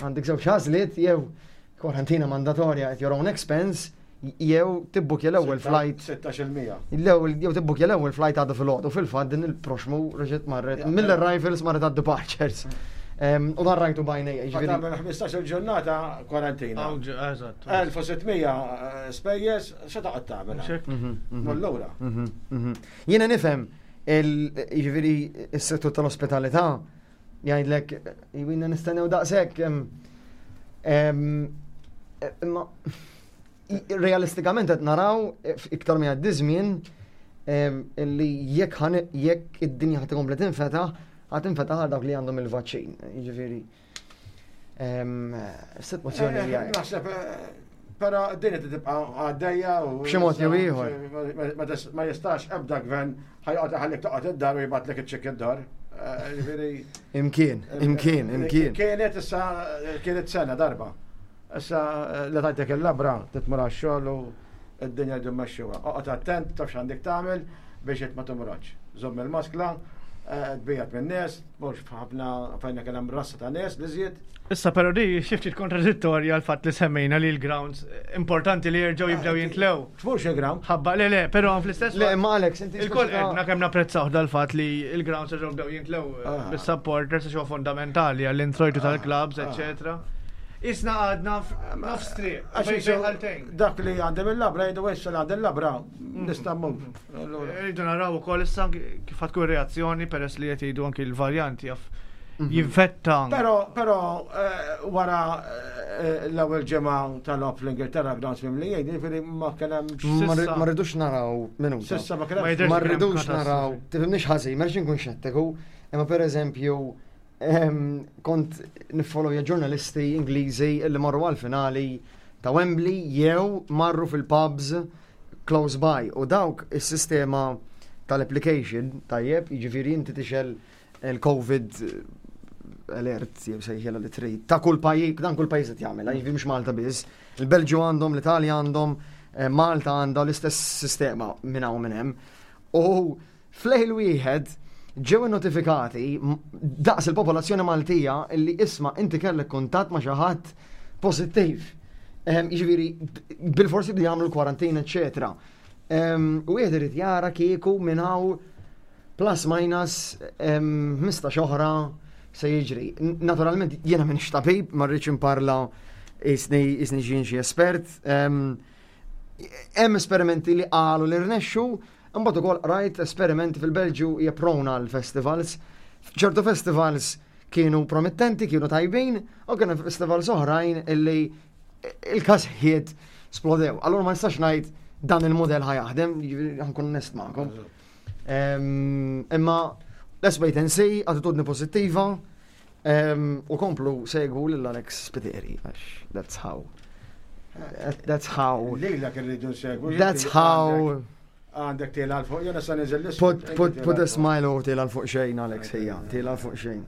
għandek żewġ għażliet jew kwarantina mandatorja at your own expense jew tibbukja l-ewwel flight. 16%. L-ewwel jew tibbukja l-ewwel flight għadha filgħodu fil-fatt din il-proxmu reġgħet marret mill-arrivals marret għad-departures. U dan rajtu bajnejja. Jiġifieri. Tagħmel 15 ġurnata kwarantina. Eżatt. 1600 spejjeż x'se toqgħod tagħmel? Mullura. Jiena nifhem jiġifieri s-settur tal-ospitalità jgħidlek jwinna nistennew daqshekk. Imma realistikament qed naraw iktar minn għaddi żmien li jekk jekk id-dinja ħad tkompli tinfetaħ, ħad tinfetaħ għal dawk li għandhom il-vaċċin. Jiġifieri sitwazzjoni hija. Naħseb però din qed tibqa' għaddejja u b'xi mod jew ieħor. Ma jistax ebda gvern ħajqgħod iħallik toqgħod id-dar u jibgħatlek iċ-ċekk id-dar. Jiġifieri Imkien, imkien, imkien. Kienet issa kienet sena darba. Issa li tajtek il-labra titmur għax-xogħol u d-dinja jdu mmexxuha. Oqgħod attent taf x'għandek tagħmel biex int ma timrodx. Żomm il-maskla, tbijat min-nies, tmurx f'ħafna fejn kien hemm rassa ta' nies li żied. Issa però di xi ftit kontradittorja l-fatt li semmejna li l-grounds importanti li jerġgħu jibdew jintlew. Tmurx il-ground. Ħabba le le, però fl-istess Le, imma Alex, inti Il-koll għedna kemm napprezzaw dal-fatt li l-grounds jerġgħu bdew jintlew bis-supporters għax huwa fundamentali għall-introjtu tal-clubs, eċetera. Isna għadna nofs triq, bejn Dak li għandem il-labra jgħidu issa li għandem il-labra nista' mmur. Rridu naraw ukoll issa kif tkun reazzjoni peress li qed jgħidu anki l-varjanti jaf jinfetta. Però però wara l-ewwel ġimgħa tal-logħob fl-Ingilterra grounds mimlijin, jiġifieri ma kien hemm. Ma rridux naraw minuta. S'issa ma kien hemm. Ma rridux naraw, tifhimniex ħażin, ma rridx inkun xettiku, imma pereżempju kont niffollowja ġurnalisti Ingliżi li marru għall-finali ta' Wembley jew marru fil-pubs close by u dawk is-sistema tal-application tajjeb, jiġifieri inti tixel il-COVID alert jew sejħilha li trid ta' kull pajjiż, dan kull pajjiż qed jagħmilha, jiġifieri mhux Malta biss. Il-Belġju għandhom, l-Italja għandhom, Malta għandha l-istess sistema minn hawn minn hemm. U f'lejl wieħed ġew innotifikati daqs il-popolazzjoni Maltija li isma' inti kellek kuntatt ma' xi ħadd pożittiv. Jiġifieri bil-forsi bdew jagħmlu l-kwarantina, eċetera. U wieħed irid jara kieku minn hawn plus minus 15 oħra se jiġri. Naturalment jiena m'iniex tabib, ma rridx imparla isni isni xi espert. Hemm esperimenti li qalu li rnexxu, imbagħad ukoll qrajt esperimenti fil-Belġju hija prone għal festivals. Ċertu festivals kienu promettenti, kienu tajbin, u kienu festivals oħrajn illi il-każijiet splodew. Allura ma nistax ngħid dan il-modell ħa jaħdem, jiġifieri ħankun onest magħkom. Imma let's wait and see, attitudni pożittiva, u komplu segwu lil Alex Spiteri, għax that's how. That's how. Lilek irridu nsegwu. That's how. Għandek tila l fuq, jena sa niżel l Put, put, put a smile u tila l fuq xejn, Alex, hija, tila l fuq xejn.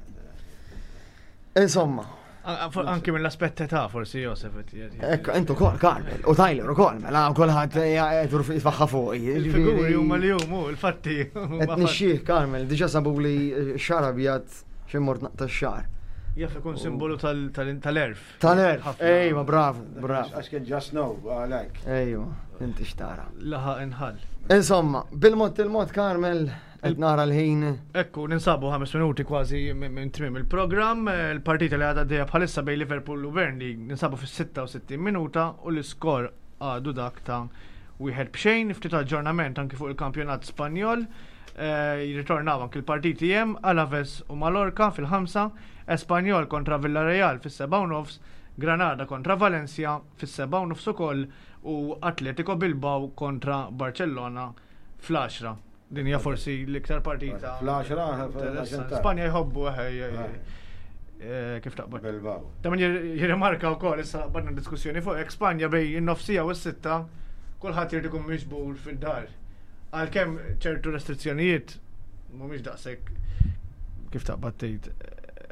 Insomma. Anki mill-aspett ta' forsi Josef. Ekk, intu kol, Carmel, u Tyler u kol, mela kulħadd jgħidur jitfaħħa fuq. Il-figuri huma li huma, il-fatti. Qed nixxih Carmel, diġà sabu li xara bjad xi mort naqta' x-xagħar. Jaf ikun simbolu tal-erf. Tal-erf, ejwa, bravo, bravo. Għax kien ġa snow, għalhekk. Ejwa, inti x'tara. Laħaq inħall. Insomma, bil-mod il-mod Carmel, qed nara l-ħin. Ekku, ninsabu 5 minuti kważi minn tmiem il-programm. Il-partita li għadha għaddejja bħalissa bejn Liverpool u Burnley ninsabu fis-66 minuta u l-iskor għadu dak ta' wieħed b'xejn. Ftit aġġornament anki fuq il-kampjonat Spanjol. Jirritornaw anki l-partiti hemm Alaves u Mallorca fil-5, Espanyol kontra Villarreal fis-7:30, Granada kontra Valencia fis-7:30 ukoll u Atletico Bilbao kontra Barcellona fl-10. Din hija forsi l-iktar partita. Fl-10. Spanja jħobbu kif taqbad. Bilbao. Ta' min jirrimarka wkoll issa qbadna diskussjoni fuq hekk Spanja bejn in-nofsija u s-6 kulħadd irid ikun miġbur fid-dar. Għalkemm ċertu restrizzjonijiet mhumiex daqshekk kif taqbad tgħid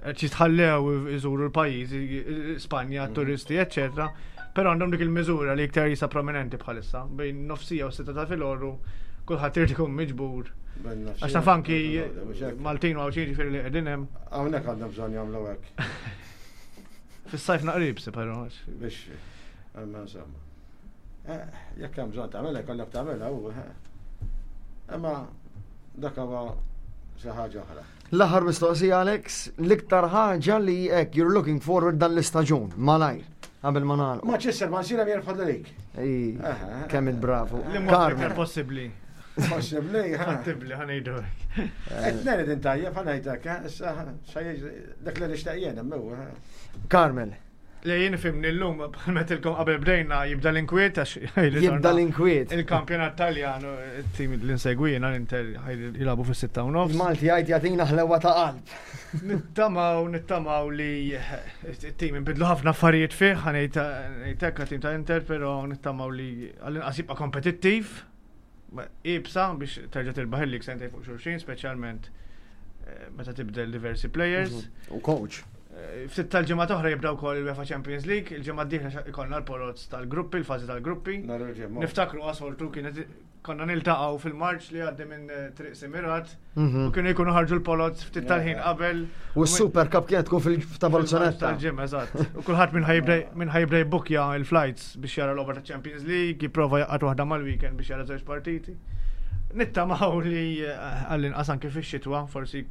qed jitħallew iżuru l-pajjiż, Spanja, turisti, eċċetera. Però għandhom dik il-miżura li iktar jisa prominenti bħalissa bejn nofsija u 6 ta' filgħodu kulħadd irid ikun miġbur. Għax taf anki Maltin u Għawdxin ġifieri li qegħdin hemm. Hawnhekk għandhom bżonn jagħmlu hekk. Fis-sajf naqrib si però. Biex, imma insomma. Jekk hemm bżonn tagħmilha, jkollok tagħmilha u. Imma dak huwa xi ħaġa oħra. L-aħħar mistoqsija Alex, l-iktar ħaġa li hekk you're looking forward dan l-istaġun, malajr, qabel ma nagħlqu. Manchester Man City jirbħu l-lig. Ej, kemm il-bravo. Li mod iktar possibbli. Possibbli, ha. Fattibbli ħa ngħidu hekk. Qed ngħid intajjeb ħa ngħidlek, issa dak li nixtieq jien hemm hu. Carmel. Le jien fimni llum bħal metilkom qabel bdejna jibda l-inkwiet għax Jibda l-inkwiet. Il-kampjonat Taljan it-tim li nsegwi jiena l-Inter jilagħbu fis-6:30. Malti jgħid jagħtina ħlewa ta' qalb. Nittamaw li it-tim inbidlu ħafna affarijiet fih, ħa ngħid hekk tim ta' Inter, però nittamaw li għall-inqas jibqa' kompetittiv. Ibsa biex terġa' tirbaħ il-lig sentejn fuq xulxin, speċjalment meta tibdel diversi players. U coach. Ftit tal-ġimgħa oħra jibda wkoll il-UEFA Champions League, il-ġimgħa d-dieħla ikollna l-poroz tal-gruppi, il-fażi tal-gruppi. Nhar il-ġimgħa. Niftakru għasoltu kienet konna niltaqgħu fil-Marċ li għaddi minn Triq Simirat u kienu jkunu ħarġu l-poloz ftit tal-ħin qabel. U s-Super Cup kienet tkun fil-ta' Balzonetta. Tal-ġimgħa, eżatt. U kulħadd minn ħajibda jbukja il-flights biex jara l-logħba ta' Champions League, jipprova jaqgħad waħda mal-weekend biex jara żewġ partiti. Nittamaw li għall-inqas anke fix-xitwa, forsi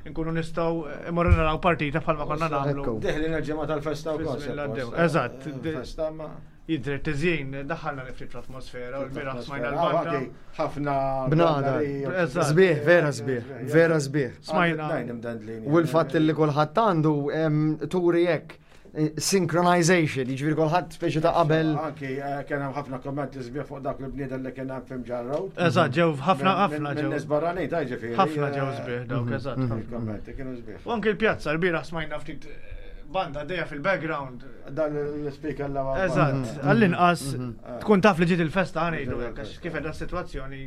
nkunu nistgħu imorru naraw partita bħalma konna nagħmlu. Ekku. Deħlin il-ġimgħa tal-festa wkoll. Fi żmien l-għaddew. suppost. Eżatt. Festa ma. Jidher tiżjin, daħħalna ftit fl-atmosfera u l-bieraħ smajna Ah, l-banda. anki ħafna Bnadar. Eżatt. Sbieħ, vera sbieħ, vera sbieħ. Smajna. U l-fatt li kulħadd għandu turi hekk synchronization, jiġifieri kulħadd speċi ta' qabel. Anki kien hemm ħafna kommenti sbieħ fuq dak il-bniedem li kien hemm fim ġarrow. Eżatt, ġew ħafna ħafna Minn ġew. nies barranin, ta' ġifieri. Ħafna ġew sbieħ dawk, eżatt. ħafna. Il-kommenti kienu sbieħ. U anke l-pjazza l-bieraħ smajna ftit banda dejja fil-background. Dan l-speaker la Eżatt, għall-inqas tkun taf li ġiet il-festa ħa ngħidu hekk, għax kif qiegħda s-sitwazzjoni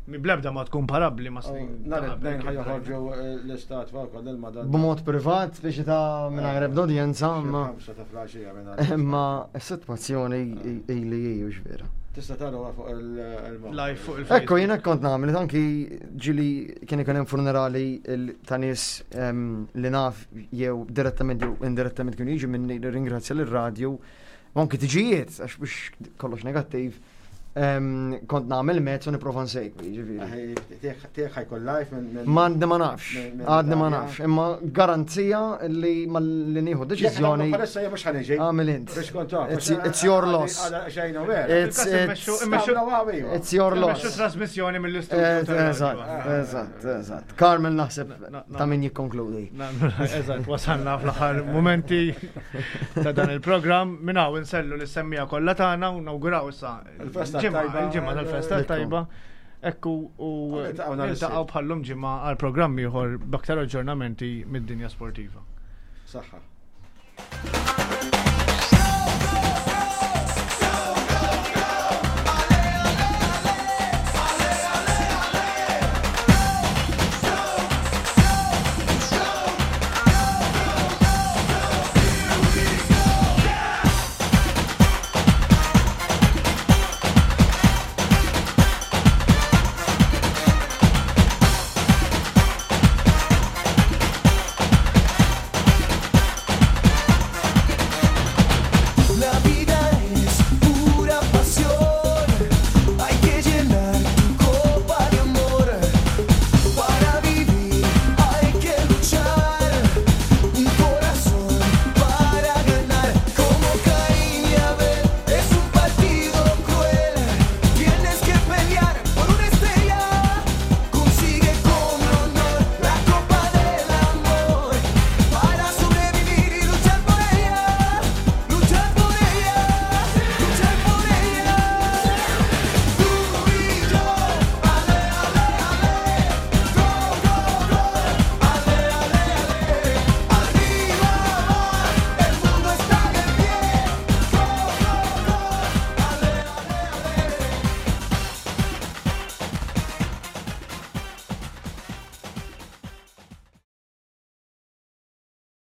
mi blebda ma tkun parabbli ma snin. Nhar ta' it-tnejn qabel ħa kif joħorġu l-istatwa wkoll il-Madonna. B'mod privat, speċi ta' mingħajr ebda udjenza, imma 5 ta' filgħaxija minn imma s-sitwazzjoni ili hi hux vera. Tista' taraw fuq il-mod. Live fuq il-Facebook. Ekku, jiena kont nagħmel anki ġili kien ikun hemm funerali ta' nies li naf jew direttament jew indirettament kienu jiġu minni li ringrazzja lir-radju u anki tiġijiet għax biex kollox negattiv kont nagħmel mezz u nipprova nsegwi, ġifieri. Tiegħek ħa jkun live minn Ma għadni ma nafx, għadni ma nafx, imma garanzija li ma li nieħu deċiżjoni Palissa jien mhux ħa niġi. għamil int. Biex kont taf. It's your loss. Xejn u vera. It's your Immexxu loss. trasmissjoni mill-istudio. Eżatt, eżatt, eżatt. Carmel naħseb ta' min jikkonkludi. Eżatt, wasalna fl-aħħar momenti ta' dan il-programm. Minn hawn insellu lis-semmija kollha tagħna u nawguraw issa Il-festa il-ġimgħa tajba. il-ġimgħa tal-festa Ekku. tajba. Ekku u Niltaqgħu nhar niltaqgħu is-Sibt. bħallum ġimgħa għal programm ieħor b'aktar aġġornamenti mid-dinja sportiva. Saħħa.